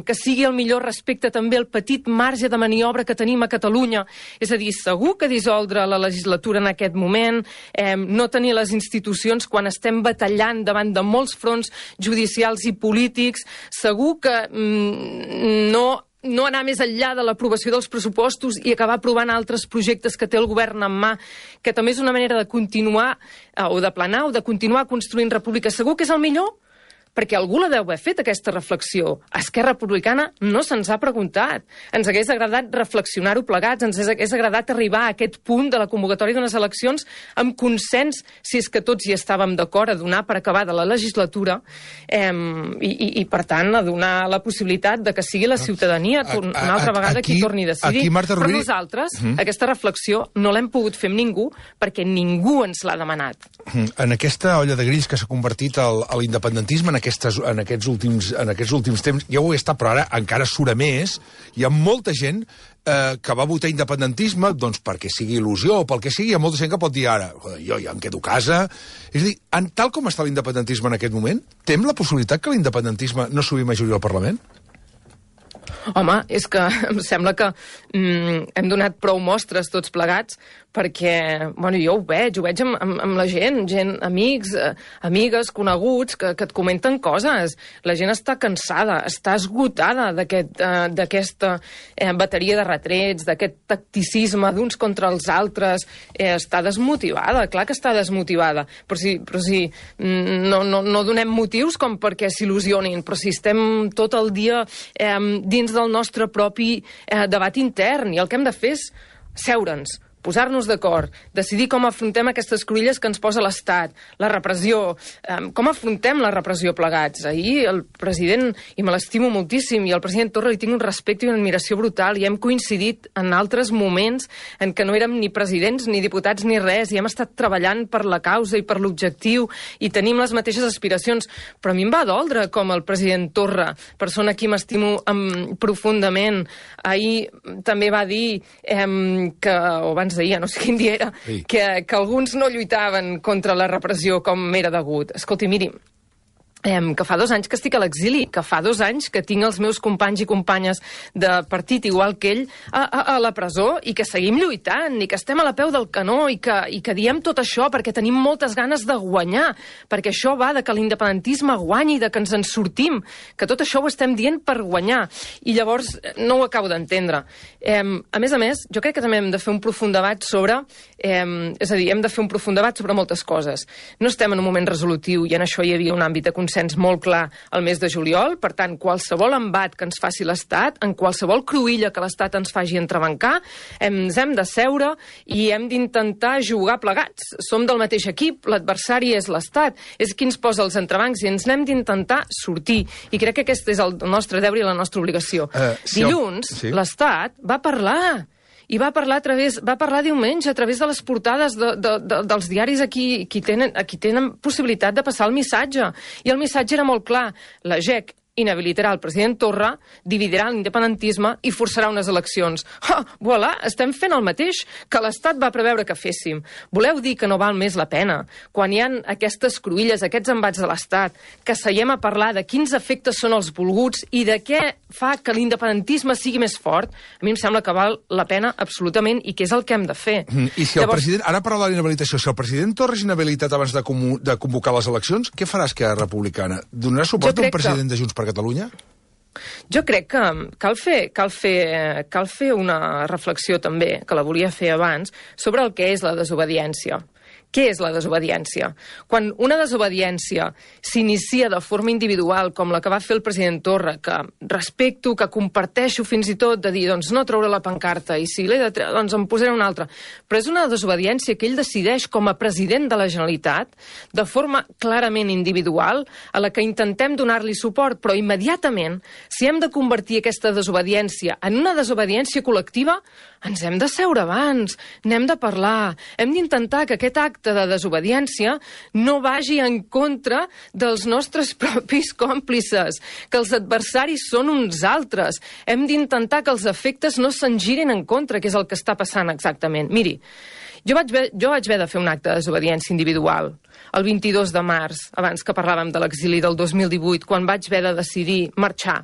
que sigui el millor respecte també al petit marge de maniobra que tenim a Catalunya. És a dir, segur que dissoldre la legislatura en aquest moment, no tenir les institucions quan estem batallant davant de molts fronts judicials i polítics, segur que no anar més enllà de l'aprovació dels pressupostos i acabar aprovant altres projectes que té el govern en mà, que també és una manera de continuar, o de planar, o de continuar construint república. Segur que és el millor? Perquè algú la deu haver fet, aquesta reflexió. A Esquerra Republicana no se'ns ha preguntat. Ens hagués agradat reflexionar-ho plegats, ens hagués agradat arribar a aquest punt de la convocatòria d'unes eleccions amb consens, si és que tots hi estàvem d'acord, a donar per acabada la legislatura i per tant, a donar la possibilitat de que sigui la ciutadania una altra vegada qui torni a decidir. Però nosaltres, aquesta reflexió, no l'hem pogut fer amb ningú perquè ningú ens l'ha demanat. En aquesta olla de grills que s'ha convertit a l'independentisme, en aquests últims temps, ja ho he estat, però ara encara surt més. Hi ha molta gent que va votar independentisme, doncs perquè sigui il·lusió o pel que sigui, hi ha molta gent que pot dir ara, jo ja em quedo a casa. És a dir, tal com està l'independentisme en aquest moment, tem la possibilitat que l'independentisme no subi majoria al Parlament? Home, és que em sembla que hem donat prou mostres tots plegats perquè, bueno, jo ho veig amb la gent, amics, amigues, coneguts, que et comenten coses. La gent està cansada, està esgotada d'aquesta bateria de retrets, d'aquest tacticisme d'uns contra els altres. Està desmotivada, clar que està desmotivada. Però si no donem motius com perquè s'il·lusionin, però si estem tot el dia dins del nostre propi debat intern, i el que hem de fer és seure'ns, posar-nos d'acord, decidir com afrontem aquestes cruïlles que ens posa l'Estat, la repressió, com afrontem la repressió plegats. Ahir el president, i me l'estimo moltíssim, i el president Torra li tinc un respecte i una admiració brutal, i hem coincidit en altres moments en què no érem ni presidents, ni diputats, ni res, i hem estat treballant per la causa i per l'objectiu, i tenim les mateixes aspiracions. Però a mi em va doldre com el president Torra, persona a qui m'estimo profundament, ahir també va dir que, o abans d'ahir, no sé quin dia era, sí, que alguns no lluitaven contra la repressió com era degut. Escolti, miri, que fa 2 anys que estic a l'exili, que fa 2 anys que tinc els meus companys i companyes de partit, igual que ell, a la presó, i que seguim lluitant, i que estem a la peu del canó, i que diem tot això perquè tenim moltes ganes de guanyar, perquè això va de que l'independentisme guanyi, de que ens en sortim, que tot això ho estem dient per guanyar. I llavors no ho acabo d'entendre. A més, jo crec que també hem de fer un profund debat sobre... és a dir, hem de fer un profund debat sobre moltes coses. No estem en un moment resolutiu, i en això hi havia un àmbit de consens molt clar al mes de juliol. Per tant, qualsevol embat que ens faci l'Estat, en qualsevol cruïlla que l'Estat ens faci entrebancar, ens hem de seure i hem d'intentar jugar plegats. Som del mateix equip, l'adversari és l'Estat, és qui ens posa els entrebancs, i ens n'hem d'intentar sortir. I crec que aquest és el nostre deure i la nostra obligació. Dilluns, l'Estat va parlar... I va parlar diumenge a través de les portades dels diaris a qui tenen possibilitat de passar el missatge. I el missatge era molt clar. La GEC inhabilitarà el president Torra, dividirà l'independentisme i forçarà unes eleccions. Voilà, estem fent el mateix que l'Estat va preveure que féssim. Voleu dir que no val més la pena, quan hi ha aquestes cruïlles, aquests embats de l'Estat, que seiem a parlar de quins efectes són els volguts i de què fa que l'independentisme sigui més fort? A mi em sembla que val la pena absolutament, i que és el que hem de fer. I si el president, ara parla de l'inhabilitació, si el president Torra és inhabilitat abans de convocar les eleccions, què farà Esquerra Republicana? Donarà suport a un president de Junts per Catalunya? Jo crec que cal fer una reflexió també, que la volia fer abans, sobre el que és la desobediència. Què és la desobediència? Quan una desobediència s'inicia de forma individual, com la que va fer el president Torra, que respecto, que comparteixo fins i tot, de dir, doncs no treure la pancarta, i si l'he de treure, doncs en posaré una altra. Però és una desobediència que ell decideix com a president de la Generalitat, de forma clarament individual, a la que intentem donar-li suport, però immediatament, si hem de convertir aquesta desobediència en una desobediència col·lectiva, ens hem de seure abans, n'hem de parlar, hem d'intentar que aquest acte de desobediència no vagi en contra dels nostres propis còmplices, que els adversaris són uns altres. Hem d'intentar que els efectes no se'n girin en contra, que és el que està passant exactament. Miri, jo vaig haver de fer un acte de desobediència individual el 22 de març, abans que parlàvem de l'exili del 2018, quan vaig haver de decidir marxar.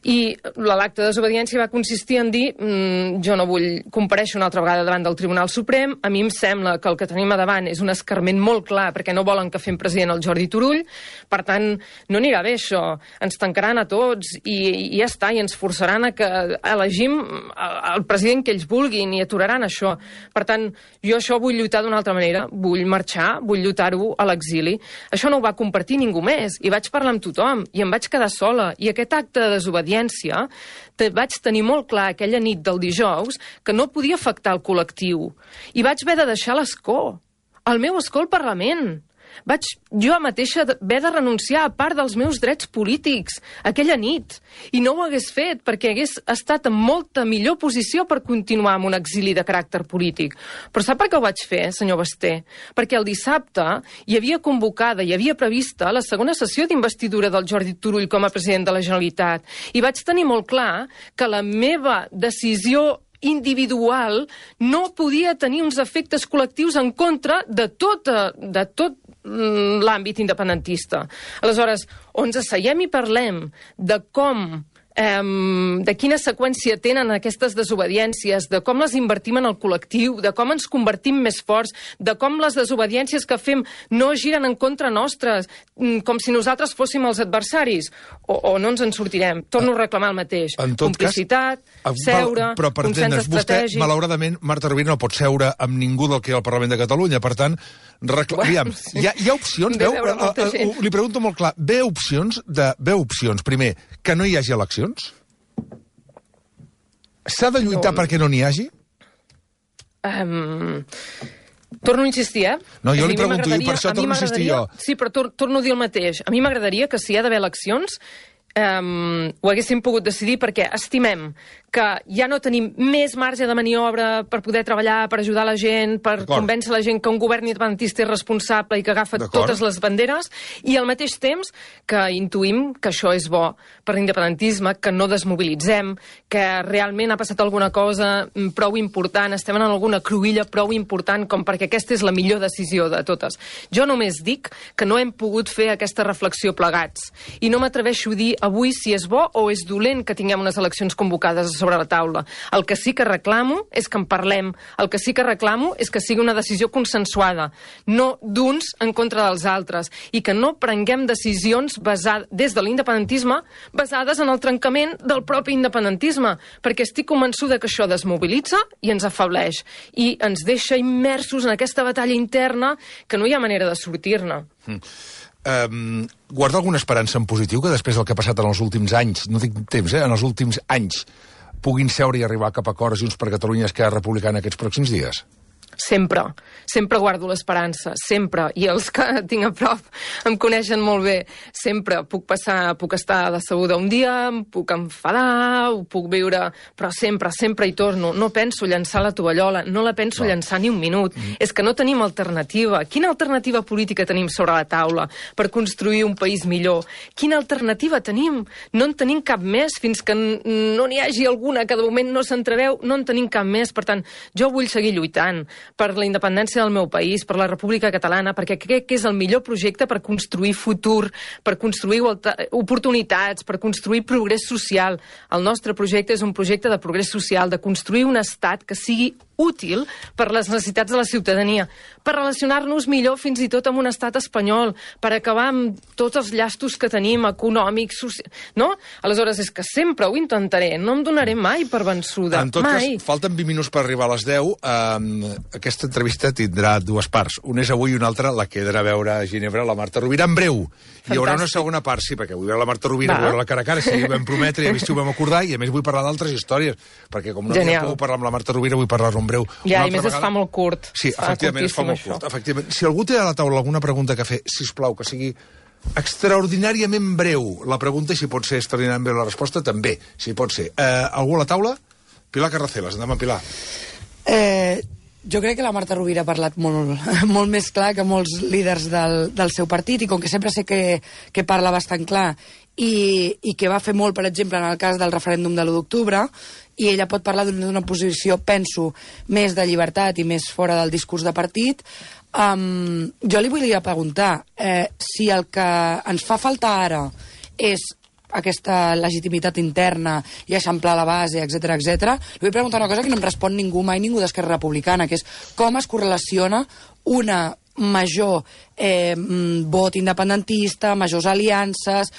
I l'acte de desobediència va consistir en dir jo no vull comparèixer una altra vegada davant del Tribunal Suprem, a mi em sembla que el que tenim a davant és un escarment molt clar perquè no volen que fem president el Jordi Turull, per tant no anirà bé això, ens tancaran a tots i ja està, i ens forçaran a que elegim el president que ells vulguin i aturaran això. Per tant, jo això vull lluitar d'una altra manera, vull marxar, vull lluitar-ho a l'exili. Això no ho va compartir ningú més, i vaig parlar amb tothom, i em vaig quedar sola, i aquest acte de desobediència vaig tenir molt clar aquella nit del dijous que no podia afectar el col·lectiu. I vaig haver de deixar l'escó, el meu escó al Parlament. Vaig jo mateixa haver de renunciar a part dels meus drets polítics aquella nit. I no ho hagués fet perquè hagués estat en molta millor posició per continuar amb un exili de caràcter polític. Però sap per què ho vaig fer, senyor Basté? Perquè el dissabte hi havia convocada, hi havia prevista la segona sessió d'investidura del Jordi Turull com a president de la Generalitat. I vaig tenir molt clar que la meva decisió individual no podia tenir uns efectes col·lectius en contra de tot l'àmbit independentista. Aleshores, on ens asseiem i parlem de com de quina seqüència tenen aquestes desobediències, de com les invertim en el col·lectiu, de com ens convertim més forts, de com les desobediències que fem no giren en contra nostres, com si nosaltres fóssim els adversaris, o no ens en sortirem. Torno a reclamar el mateix. Complicitat, seure, consens estratègic... Vostè, malauradament, Marta Rovira no pot seure amb ningú del que hi ha al Parlament de Catalunya, per tant, aviam, hi ha opcions? Li pregunto molt clar, ve opcions, primer, que no hi hagi eleccions? S'ha de lluitar perquè no n'hi hagi? Torno a insistir, No, jo li pregunto, i per això torno a insistir jo. Sí, però torno a dir el mateix. A mi m'agradaria que si hi ha d'haver eleccions ho haguéssim pogut decidir perquè estimem que ja no tenim més marge de maniobra per poder treballar, per ajudar la gent, per convèncer la gent que un govern independentista és responsable i que agafa totes les banderes, i al mateix temps que intuïm que això és bo per l'independentisme, que no desmobilitzem, que realment ha passat alguna cosa prou important, estem en alguna cruïlla prou important com perquè aquesta és la millor decisió de totes. Jo només dic que no hem pogut fer aquesta reflexió plegats, i no m'atreveixo a dir avui si és bo o és dolent que tinguem unes eleccions convocades sobre la taula. El que sí que reclamo és que en parlem. El que sí que reclamo és que sigui una decisió consensuada, no d'uns en contra dels altres, i que no prenguem decisions des de l'independentisme basades en el trencament del propi independentisme, perquè estic convençuda que això desmobilitza i ens afebleix, i ens deixa immersos en aquesta batalla interna que no hi ha manera de sortir-ne. Guarda alguna esperança en positiu que després del que ha passat en els últims anys, no dic temps, en els últims anys, puguin seure i arribar cap a acords Junts per Catalunya i Esquerra Republicana aquests pròxims dies? Sempre guardo l'esperança, sempre, i els que tinc a prop em coneixen molt bé. Sempre puc estar decebuda un dia, em puc enfadar, ho puc viure, però sempre hi torno. No penso llançar la tovallola, no la penso llançar ni un minut. És que no tenim alternativa. Quina alternativa política tenim sobre la taula per construir un país millor? Quina alternativa tenim? No en tenim cap més, fins que no n'hi hagi alguna que de moment no s'entreveu, no en tenim cap més. Per tant, jo vull seguir lluitant per la independència del meu país, per la República Catalana, perquè crec que és el millor projecte per construir futur, per construir oportunitats, per construir progrés social. El nostre projecte és un projecte de progrés social, de construir un estat que sigui útil per les necessitats de la ciutadania, per relacionar-nos millor fins i tot amb un estat espanyol, per acabar amb tots els llastos que tenim, econòmics, socials... No? Aleshores, és que sempre ho intentaré, no em donaré mai per vençuda. En tot cas, falten 20 minuts per arribar a les 10. Aquesta entrevista tindrà dues parts. Una és avui i una altra la que he d'anar a veure a Ginebra, la Marta Rovira, en breu. Hi haurà una segona part, sí, perquè vull veure la Marta Rovira, vull veure la cara a cara, si ho vam prometre, i a veure si ho vam acordar, i a més vull parlar d'altres històries, perquè com no puc parlar amb la Marta Rovira, vull parlar-ho en breu. Ja, i més es fa molt curt. Sí, efectivament, es fa molt curt. Efectivament. Si algú té a la taula alguna pregunta que fer, sisplau, que sigui extraordinàriament breu la pregunta, i si pot ser extraordinàriament breu la resposta, també, si pot ser. Algú a la taula? Pilar Carracelas, endavant, Pilar. Jo crec que la Marta Rovira ha parlat molt més clar que molts líders del seu partit, i com que sempre sé que parla bastant clar i que va fer molt, per exemple, en el cas del referèndum de l'1 d'octubre, i ella pot parlar d'una posició, penso, més de llibertat i més fora del discurs de partit. Jo li volia preguntar si el que ens fa faltar ara és aquesta legitimitat interna i eixamplar la base, etc etc. Li vull preguntar una cosa que no em respon ningú d'Esquerra Republicana, que és com es correlaciona una major vot independentista, majors aliances,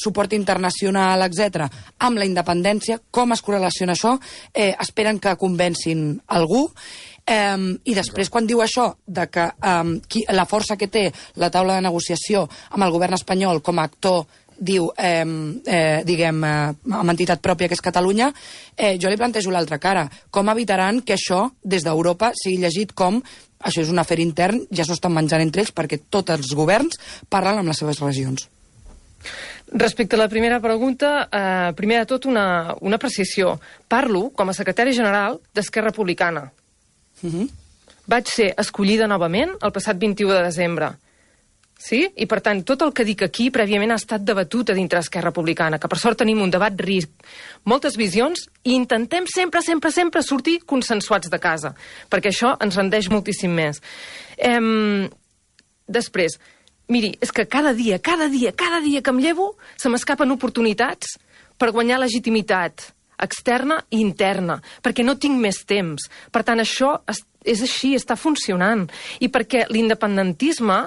suport internacional, etc., amb la independència. Com es correlaciona això? Esperen que convencin algú? I després, quan diu això de que la força que té la taula de negociació amb el govern espanyol com a actor, diu, diguem, amb entitat pròpia, que és Catalunya, jo li plantejo l'altra cara. Com evitaran que això, des d'Europa, sigui llegit com això és un afer intern, ja s'ho estan menjant entre ells perquè tots els governs parlen amb les seves regions. Respecte a la primera pregunta, primer de tot una precisió. Parlo com a secretari general d'Esquerra Republicana. Vaig ser escollida novament el passat 21 de desembre. Sí? I, per tant, tot el que dic aquí prèviament ha estat debatut a dintre d'Esquerra Republicana, que per sort tenim un debat ric, moltes visions, i intentem sempre sortir consensuats de casa, perquè això ens rendeix moltíssim més. Després, miri, és que cada dia que em llevo se m'escapen oportunitats per guanyar legitimitat externa i interna, perquè no tinc més temps. Per tant, això és així, està funcionant. I perquè l'independentisme,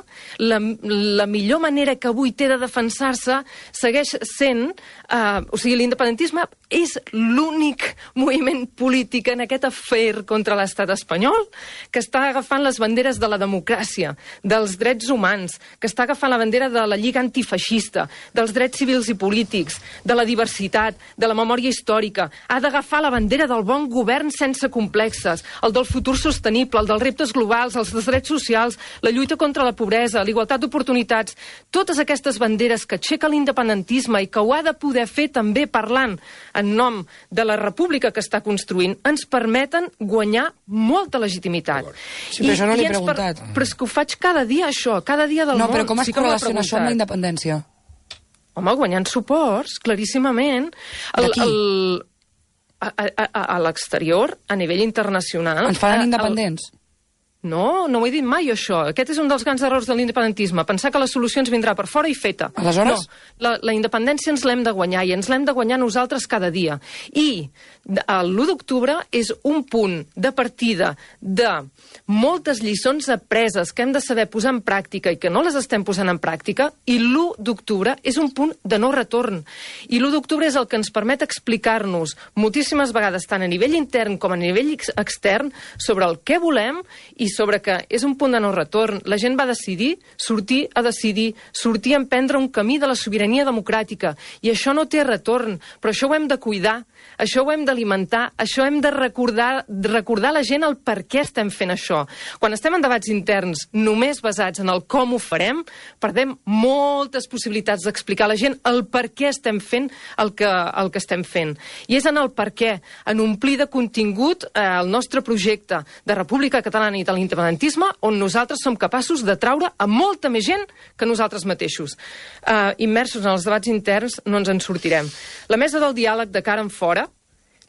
la millor manera que avui té de defensar-se segueix sent... o sigui, l'independentisme és l'únic moviment polític en aquest afer contra l'estat espanyol que està agafant les banderes de la democràcia, dels drets humans, que està agafant la bandera de la Lliga Antifeixista, dels drets civils i polítics, de la diversitat, de la memòria històrica. Ha d'agafar la bandera del bon govern sense complexes, el del futur sostenible, el dels reptes globals, els dels drets socials, la lluita contra la pobresa, l'igualtat d'oportunitats. Totes aquestes banderes que aixeca l'independentisme i que ho ha de poder fer també parlant en nom de la república que està construint, ens permeten guanyar molta legitimitat. Sí, però això no l'he preguntat. Però és que ho faig cada dia, això, cada dia del món. No, però com es correlaciona això amb la independència? Home, guanyant suports, claríssimament. D'aquí? A l'exterior, a nivell internacional... Ens faran independents? No, no ho he dit mai, això. Aquest és un dels grans errors de l'independentisme, pensar que la solució ens vindrà per fora i feta. Aleshores? No, la independència ens l'hem de guanyar, i ens l'hem de guanyar nosaltres cada dia. I l'1 d'octubre és un punt de partida de moltes lliçons apreses que hem de saber posar en pràctica i que no les estem posant en pràctica, i l'1 d'octubre és un punt de no retorn. I l'1 d'octubre és el que ens permet explicar-nos moltíssimes vegades, tant a nivell intern com a nivell extern, sobre el que volem i sobre que és un punt de no retorn. La gent va decidir, sortir a emprendre un camí de la sobirania democràtica, i això no té retorn, però això ho hem de cuidar, això ho hem d'alimentar, això hem de recordar a la gent el per què estem fent això. Quan estem en debats interns només basats en el com ho farem, perdem moltes possibilitats d'explicar a la gent el per què estem fent el que estem fent. I és en el per què, en omplir de contingut el nostre projecte de República Catalana i de l'independentisme, on nosaltres som capaços de traure a molta més gent que nosaltres mateixos. Immersos en els debats interns no ens en sortirem. La mesa del diàleg de cara en fora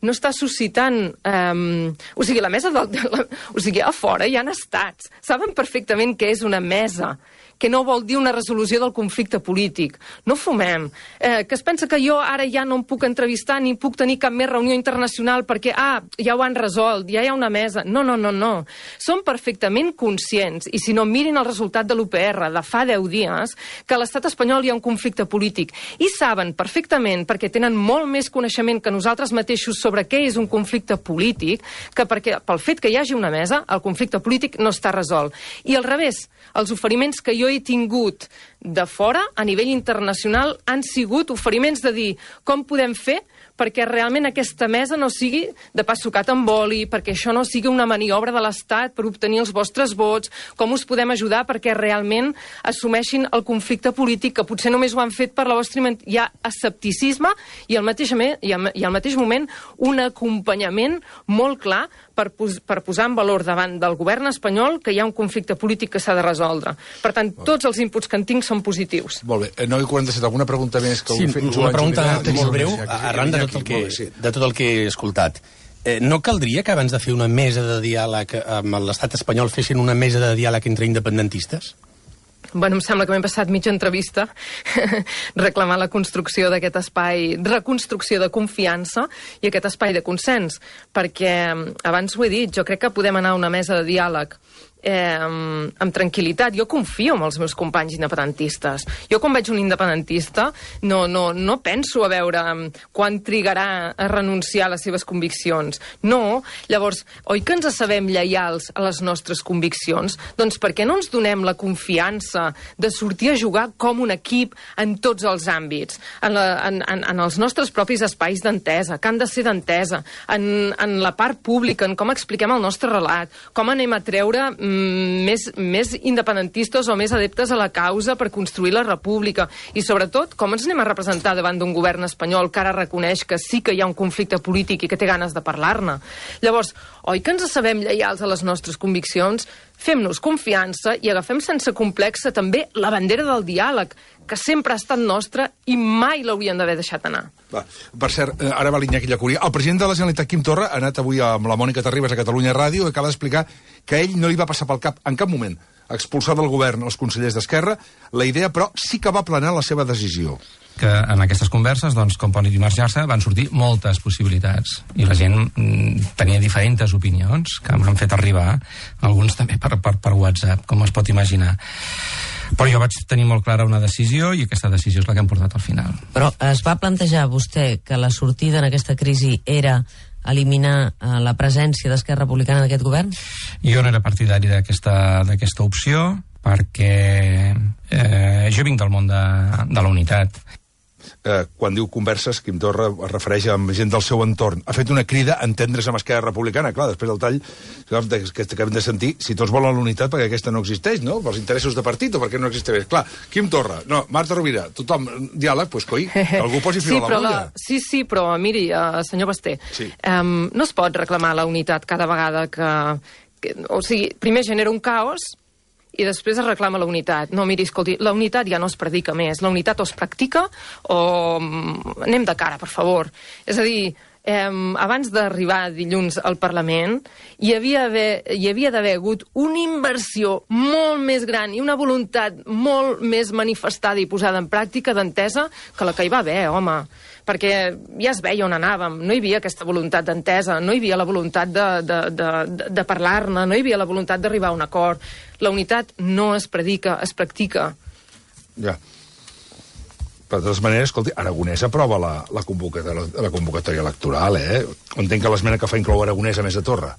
no està suscitant... la mesa a fora hi han estats. Saben perfectament què és una mesa, que no vol dir una resolució del conflicte polític. No fumem. Que es pensa que jo ara ja no em puc entrevistar ni puc tenir cap més reunió internacional perquè, ja ho han resolt, ja hi ha una mesa. No. Som perfectament conscients, i si no, mirin el resultat de l'UPR de fa 10 dies, que a l'estat espanyol hi ha un conflicte polític. I saben perfectament, perquè tenen molt més coneixement que nosaltres mateixos sobre què és un conflicte polític, que pel fet que hi hagi una mesa, el conflicte polític no està resolt. I al revés, els oferiments que jo he tingut de fora, a nivell internacional, han sigut oferiments de dir com podem fer perquè realment aquesta mesa no sigui de pa sucat amb oli, perquè això no sigui una maniobra de l'Estat per obtenir els vostres vots, com us podem ajudar perquè realment assumeixin el conflicte polític, que potser només ho han fet per la vostra... Hi ha escepticisme i al mateix moment un acompanyament molt clar per posar en valor davant del govern espanyol que hi ha un conflicte polític que s'ha de resoldre. Per tant, tots els inputs que en tinc són positius. Molt bé. 9:47, alguna pregunta més que vulgui fer? Sí, una pregunta molt breu, arran de tot el que he escoltat. No caldria que abans de fer una mesa de diàleg amb l'estat espanyol fessin una mesa de diàleg entre independentistes? Bueno, em sembla que m'he passat mitja entrevista reclamant la construcció d'aquest espai, reconstrucció de confiança i aquest espai de consens, perquè abans ho he dit, jo crec que podem anar a una mesa de diàleg amb tranquil·litat. Jo confio en els meus companys independentistes. Jo quan veig un independentista no penso a veure quan trigarà a renunciar a les seves conviccions. No. Llavors, oi que ens sabem lleials a les nostres conviccions? Doncs per què no ens donem la confiança de sortir a jugar com un equip en tots els àmbits, en els nostres propis espais d'entesa, que han de ser d'entesa, en la part pública, en com expliquem el nostre relat, com anem a treure més independentistes o més adeptes a la causa per construir la república. I sobretot, com ens anem a representar davant d'un govern espanyol que ara reconeix que sí que hi ha un conflicte polític i que té ganes de parlar-ne? Llavors, oi que ens sabem lleials a les nostres conviccions? Fem-nos confiança i agafem sense complexa també la bandera del diàleg, que sempre ha estat nostra i mai l'haurien d'haver deixat anar. Va, per cert, ara va l'Iñaki Llacúria. El president de la Generalitat, Quim Torra, ha anat avui amb la Mònica Terribas a Catalunya Ràdio i acaba d'explicar que a ell no li va passar pel cap en cap moment expulsar del govern els consellers d'Esquerra. La idea, però, sí que va planar la seva decisió. Que en aquestes converses, doncs, com pot imaginar-se, van sortir moltes possibilitats. I la gent tenia diferents opinions que m'han fet arribar, alguns també per WhatsApp, com es pot imaginar. Però jo vaig tenir molt clara una decisió i aquesta decisió és la que hem portat al final. Però es va plantejar vostè que la sortida en aquesta crisi era eliminar la presència d'Esquerra Republicana d'aquest govern? Jo no era partidari d'aquesta opció perquè jo vinc del món de la unitat. Quan diu converses, Quim Torra es refereix amb gent del seu entorn. Ha fet una crida a entendre's amb Esquerra Republicana. Clar, després del tall que acabem de sentir, si tots volen la unitat perquè aquesta no existeix, no? Pels interessos de partit o perquè no existeix. Clar, Quim Torra, no, Marta Rovira, tothom, diàleg, doncs coi, que algú posi fil a l'agulla. Sí, però miri, senyor Basté, sí. No es pot reclamar la unitat cada vegada que o sigui, primer genera un caos i després es reclama la unitat. No, miri, escolti, la unitat ja no es predica més. La unitat o es practica o anem de cara, per favor. És a dir, abans d'arribar dilluns al Parlament hi havia d'haver hagut una inversió molt més gran i una voluntat molt més manifestada i posada en pràctica d'entesa que la que hi va haver, home. Perquè ja es veia on anàvem, no hi havia aquesta voluntat d'entesa, no hi havia la voluntat de parlar-ne, no hi havia la voluntat d'arribar a un acord. La unitat no es predica, es practica. Ja. Però de totes maneres, escolti, Aragonès aprova la convocatòria electoral, Entenc que l'esmena que fa inclou Aragonès a més de Torra.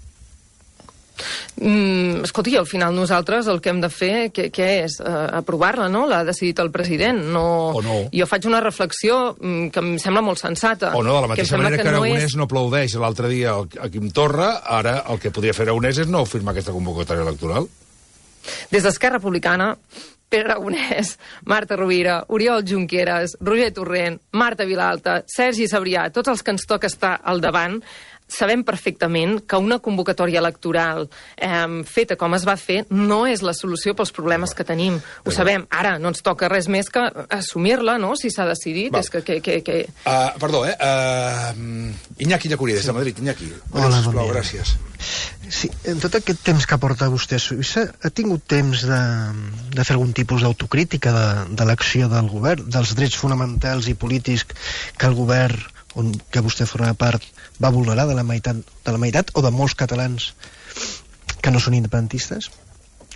Escolti, al final nosaltres el que hem de fer, què és? Aprovar-la, no? L'ha decidit el president. O no. Jo faig una reflexió que em sembla molt sensata. O no, de la mateixa manera que Aragonès no aplaudeix l'altre dia a Quim Torra, ara el que podria fer Aragonès és no firmar aquesta convocatòria electoral. Des d'Esquerra Republicana, Pere Aragonès, Marta Rovira, Oriol Junqueras, Roger Torrent, Marta Vilalta, Sergi Sabrià, tots els que ens toca estar al davant, sabem perfectament que una convocatòria electoral feta com es va fer no és la solució pels problemes que tenim. Ho sabem. Ara no ens toca res més que assumir-la, no?, si s'ha decidit. És que... Perdó, Iñaki Llacúria, des de Madrid. Iñaki. Hola, bon dia. Gràcies. Sí, en tot aquest temps que porta vostè a Suïssa, ha tingut temps de fer algun tipus d'autocrítica de l'acció del govern, dels drets fonamentals i polítics que el govern que vostè forma part va vulnerar de la meitat o de molts catalans que no són independentistes?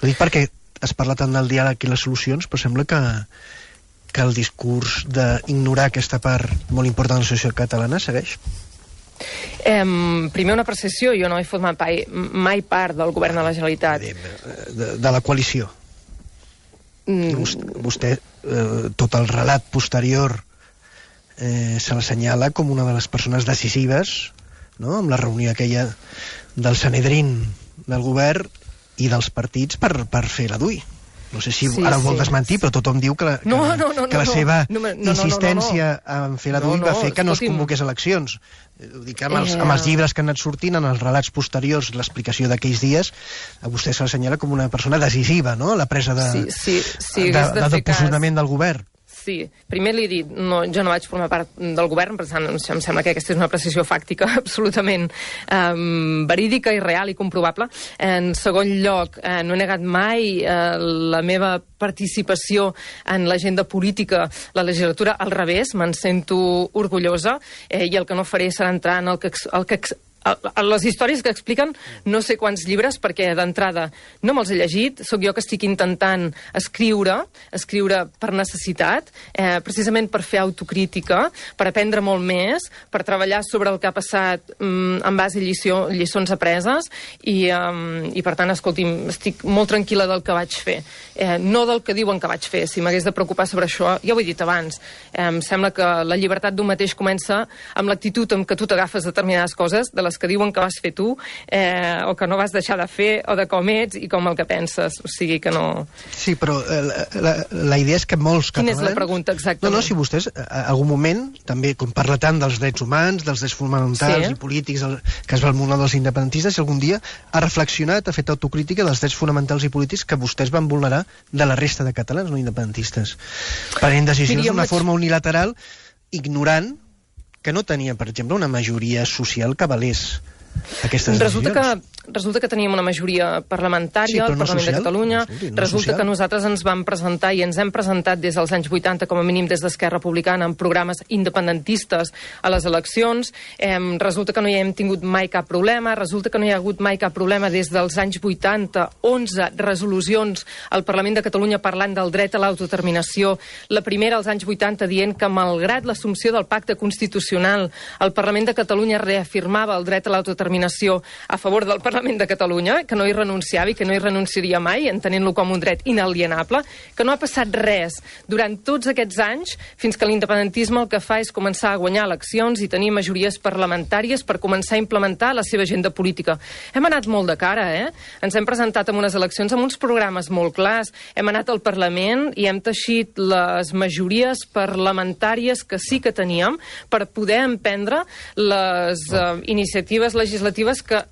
Ho dic perquè es parla tant del diàleg i les solucions, però sembla que el discurs d'ignorar aquesta part molt important de la societat catalana segueix. Primer una precisió, jo no he format mai part del govern de la Generalitat. De la coalició. Vostè, tot el relat posterior se l'assenyala com una de les persones decisives, no?, amb la reunió aquella del Sanedrín del govern i dels partits per fer la DUI. No sé si ara ho vol desmentir, però tothom diu que la seva insistència en fer la DUI va fer que no es convoqués eleccions. Ho dic amb els llibres que han anat sortint, en els relats posteriors, l'explicació d'aquells dies, a vostè se l'assenyala com una persona decisiva, no?, la presa de posicionament del govern. Sí, primer li he dit, jo no vaig formar part del govern, per tant, em sembla que aquesta és una precisió fàctica absolutament verídica i real i comprovable. En segon lloc, no he negat mai la meva participació en l'agenda política, la legislatura, al revés, me'n sento orgullosa, i el que no faré serà entrar en les històries que expliquen no sé quants llibres, perquè d'entrada no me'ls he llegit, sóc jo que estic intentant escriure per necessitat, precisament per fer autocrítica, per aprendre molt més, per treballar sobre el que ha passat en base a lliçons apreses, i per tant, escolti'm, estic molt tranquil·la del que vaig fer, no del que diuen que vaig fer. Si m'hagués de preocupar sobre això, ja ho he dit abans, em sembla que la llibertat d'un mateix comença amb l'actitud amb què tu t'agafes determinades coses de les les que diuen que vas fer tu, o que no vas deixar de fer, o de com ets i com el que penses. O sigui que no... Sí, però la idea és que molts catalans... Quina és la pregunta, exactament? No, si vostès, a algun moment, també, com parla tant dels drets humans, dels drets fonamentals i polítics, que es va al món dels independentistes, algun dia ha reflexionat, ha fet autocrítica dels drets fonamentals i polítics que vostès van vulnerar de la resta de catalans no independentistes. Prenent decisions d'una forma unilateral, ignorant que no tenien, per exemple, una majoria social que valés aquestes decisions. Resulta que teníem una majoria parlamentària al Parlament de Catalunya. Resulta que nosaltres ens vam presentar i ens hem presentat des dels anys 80, com a mínim des d'Esquerra Republicana, en programes independentistes a les eleccions. Resulta que no hi hem tingut mai cap problema. Resulta que no hi ha hagut mai cap problema des dels anys 80, 11 resolucions al Parlament de Catalunya parlant del dret a l'autodeterminació. La primera als anys 80 dient que, malgrat l'assumpció del pacte constitucional, el Parlament de Catalunya reafirmava el dret a l'autodeterminació a favor del Parlament de Catalunya, que no hi renunciava i que no hi renunciaria mai, entenent-lo com un dret inalienable, que no ha passat res durant tots aquests anys, fins que l'independentisme el que fa és començar a guanyar eleccions i tenir majories parlamentàries per començar a implementar la seva agenda política. Hem anat molt de cara, Ens hem presentat en unes eleccions amb uns programes molt clars, hem anat al Parlament i hem teixit les majories parlamentàries que sí que teníem per poder emprendre les iniciatives legislatives que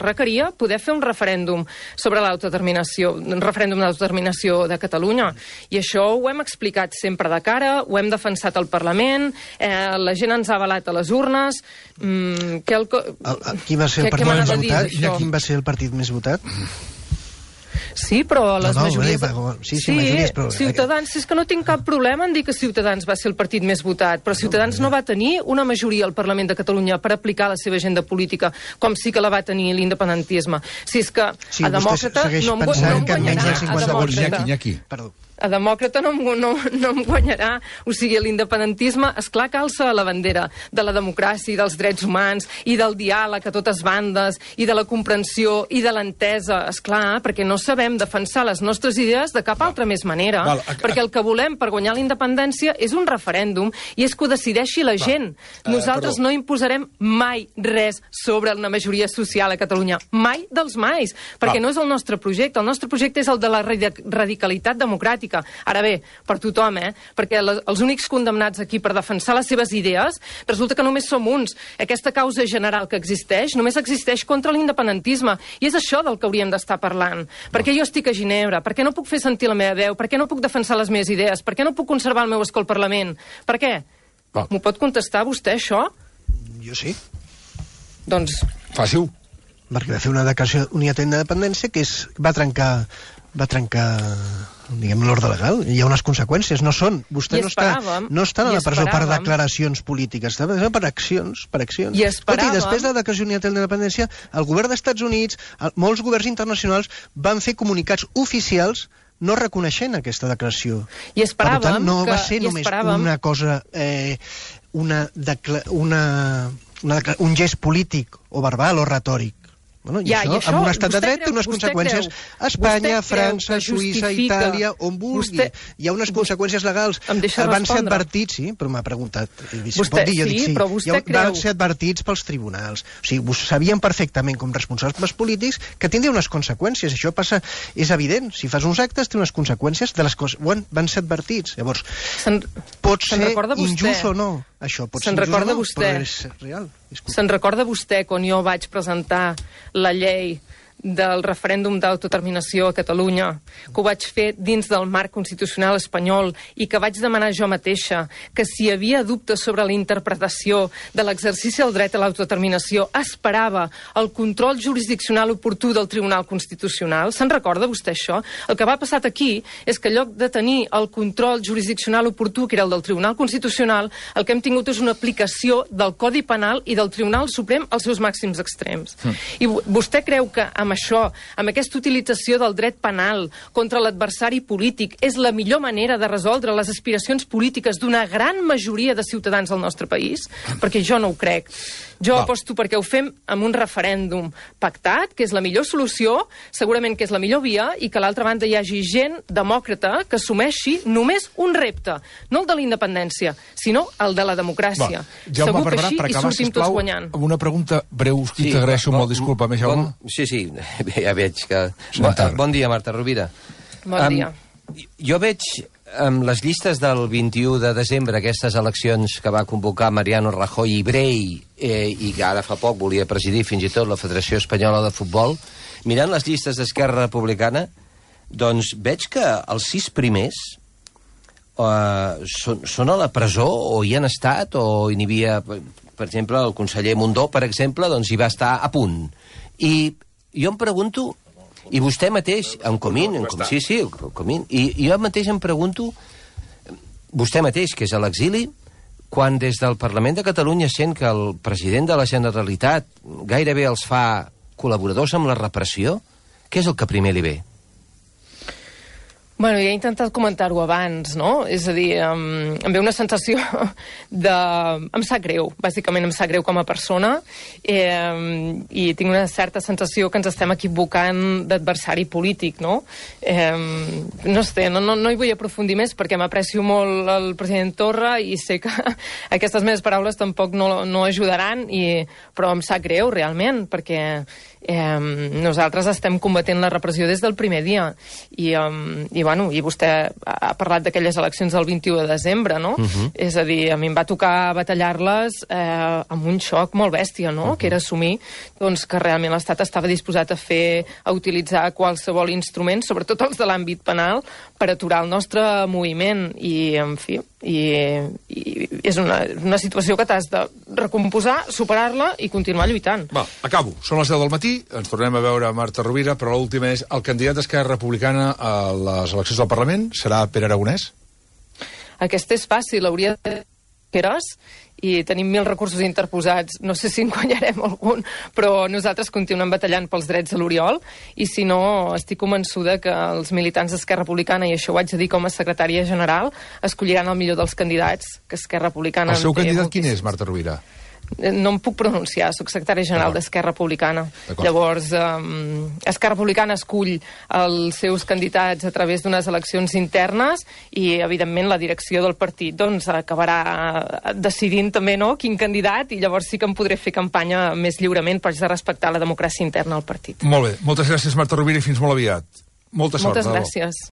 requeria poder fer un referèndum sobre l'autodeterminació, un referèndum d'autodeterminació de Catalunya. I això ho hem explicat sempre de cara, ho hem defensat al Parlament, la gent ens ha avalat a les urnes. Qui va ser el partit més votat? I quin va ser el partit més votat? Sí, però les majories... Sí, majories, però... Ciutadans, és que no tinc cap problema en dir que Ciutadans va ser el partit més votat, però Ciutadans no va tenir una majoria al Parlament de Catalunya per aplicar la seva agenda política, com sí que la va tenir l'independentisme. Si és que a Demòcrata no em guanyarà. A Demòcrata no em guanyarà. O sigui, l'independentisme, esclar que alça la bandera de la democràcia i dels drets humans i del diàleg a totes bandes i de la comprensió i de l'entesa, esclar, perquè no sabem defensar les nostres idees de cap altra més manera. Perquè el que volem per guanyar la independència és un referèndum i és que ho decideixi la gent. Nosaltres no imposarem mai res sobre una majoria social a Catalunya. Mai dels mais. Perquè no és el nostre projecte. El nostre projecte és el de la radicalitat democràtica. Ara bé, per tothom, perquè els únics condemnats aquí per defensar les seves idees, resulta que només som uns. Aquesta causa general que existeix només existeix contra l'independentisme. I és això del que hauríem d'estar parlant. Per què jo estic a Ginebra? Per què no puc fer sentir la meva veu? Per què no puc defensar les meves idees? Per què no puc conservar el meu escó al Parlament? Per què? M'ho pot contestar vostè, això? Jo sí. Doncs... Fàcil. Perquè va fer una declaració unilateral d'independència que va trencar diguem, l'ordre legal. Hi ha unes conseqüències, no són. Vostè no està a la presó per declaracions polítiques, està per accions. I esperàvem... I després de la declaració unilateral d'independència, el govern dels Estats Units, molts governs internacionals van fer comunicats oficials no reconeixent aquesta declaració. I esperàvem per tant, no va ser només una cosa, un gest polític o verbal o retòric. Bueno, i això, amb un estat de dret, té unes conseqüències a Espanya, França, Suïssa, Itàlia, on vulgui. Hi ha unes conseqüències legals. Van ser advertits, sí, però m'ha preguntat. Van ser advertits pels tribunals. O sigui, sabien perfectament, com responsables polítics, que tindria unes conseqüències. Això passa, és evident. Si fas uns actes, té unes conseqüències de les coses. Van ser advertits. Llavors, pot ser injust o no. Això pot ser injust o no, però és real. Se'n recorda vostè quan jo vaig presentar la llei del referèndum d'autodeterminació a Catalunya, que ho vaig fer dins del marc constitucional espanyol i que vaig demanar jo mateixa que si hi havia dubtes sobre la interpretació de l'exercici del dret a l'autodeterminació esperava el control jurisdiccional oportú del Tribunal Constitucional? Se'n recorda vostè això? El que va passar aquí és que en lloc de tenir el control jurisdiccional oportú, que era el del Tribunal Constitucional, el que hem tingut és una aplicació del Codi Penal i del Tribunal Suprem als seus màxims extrems. I vostè creu que amb això, amb aquesta utilització del dret penal contra l'adversari polític, és la millor manera de resoldre les aspiracions polítiques d'una gran majoria de ciutadans del nostre país? Perquè jo no ho crec. Jo aposto perquè ho fem amb un referèndum pactat, que és la millor solució, segurament que és la millor via, i que a l'altra banda hi hagi gent demòcrata que assumeixi només un repte, no el de la independència, sinó el de la democràcia. Jaume Segur que Barberà, així per hi acabar, sortim tots guanyant. amb una pregunta breu, i t'agraeixo molt, disculpa, Jaume. Sí, ja veig que... Bon dia, Marta Rovira. Bon dia. Jo veig amb les llistes del 21 de desembre, aquestes eleccions que va convocar Mariano Rajoy i Brey, i que ara fa poc volia presidir fins i tot la Federació Espanyola de Futbol, mirant les llistes d'Esquerra Republicana, doncs veig que els 6 primers són a la presó o hi han estat, o hi havia, per exemple, el conseller Mundó, per exemple, doncs hi va estar a punt. I jo em pregunto... I vostè mateix, en Comín, i jo mateix em pregunto, vostè mateix, que és a l'exili, quan des del Parlament de Catalunya sent que el president de la Generalitat gairebé els fa col·laboradors amb la repressió, què és el que primer li ve? Bueno, ja he intentat comentar-ho abans, no? És a dir, em ve una sensació de... Em sap greu, bàsicament em sap greu com a persona, i tinc una certa sensació que ens estem equivocant d'adversari polític, no? No sé, no hi vull aprofundir més perquè m'aprecio molt el president Torra i sé que aquestes meves paraules tampoc no ajudaran, però em sap greu, realment, perquè nosaltres estem combatent la repressió des del primer dia i vostè ha parlat d'aquelles eleccions del 21 de desembre, no? És a dir, a mi em va tocar batallar-les amb un xoc molt bèstia, no? Que era assumir doncs, que realment l'Estat estava disposat a utilitzar qualsevol instrument, sobretot els de l'àmbit penal, per aturar el nostre moviment i, en fi, és una situació que t'has de recomposar, superar-la i continuar lluitant. Va, acabo. Són les 10 del matí, ens tornem a veure Marta Rovira, però l'última és el candidat d'Esquerra Republicana a les eleccions del Parlament serà Pere Aragonès? Aquest és fàcil, hauria de Queres, i tenim 1000 recursos interposats. No sé si en guanyarem algun, però nosaltres continuem batallant pels drets de l'Oriol, i si no, estic convençuda que els militants d'Esquerra Republicana, i això ho haig de dir com a secretària general, escolliran el millor dels candidats, que Esquerra Republicana... El seu candidat quin és, Marta Rovira? No em puc pronunciar, soc secretària general d'Esquerra Republicana. Llavors, Esquerra Republicana escull els seus candidats a través d'unes eleccions internes i, evidentment, la direcció del partit doncs, acabarà decidint també quin candidat, i llavors sí que em podré fer campanya més lliurement, per respectar la democràcia interna al partit. Molt bé. Moltes gràcies, Marta Rovira, i fins molt aviat. Molta sort. Moltes gràcies.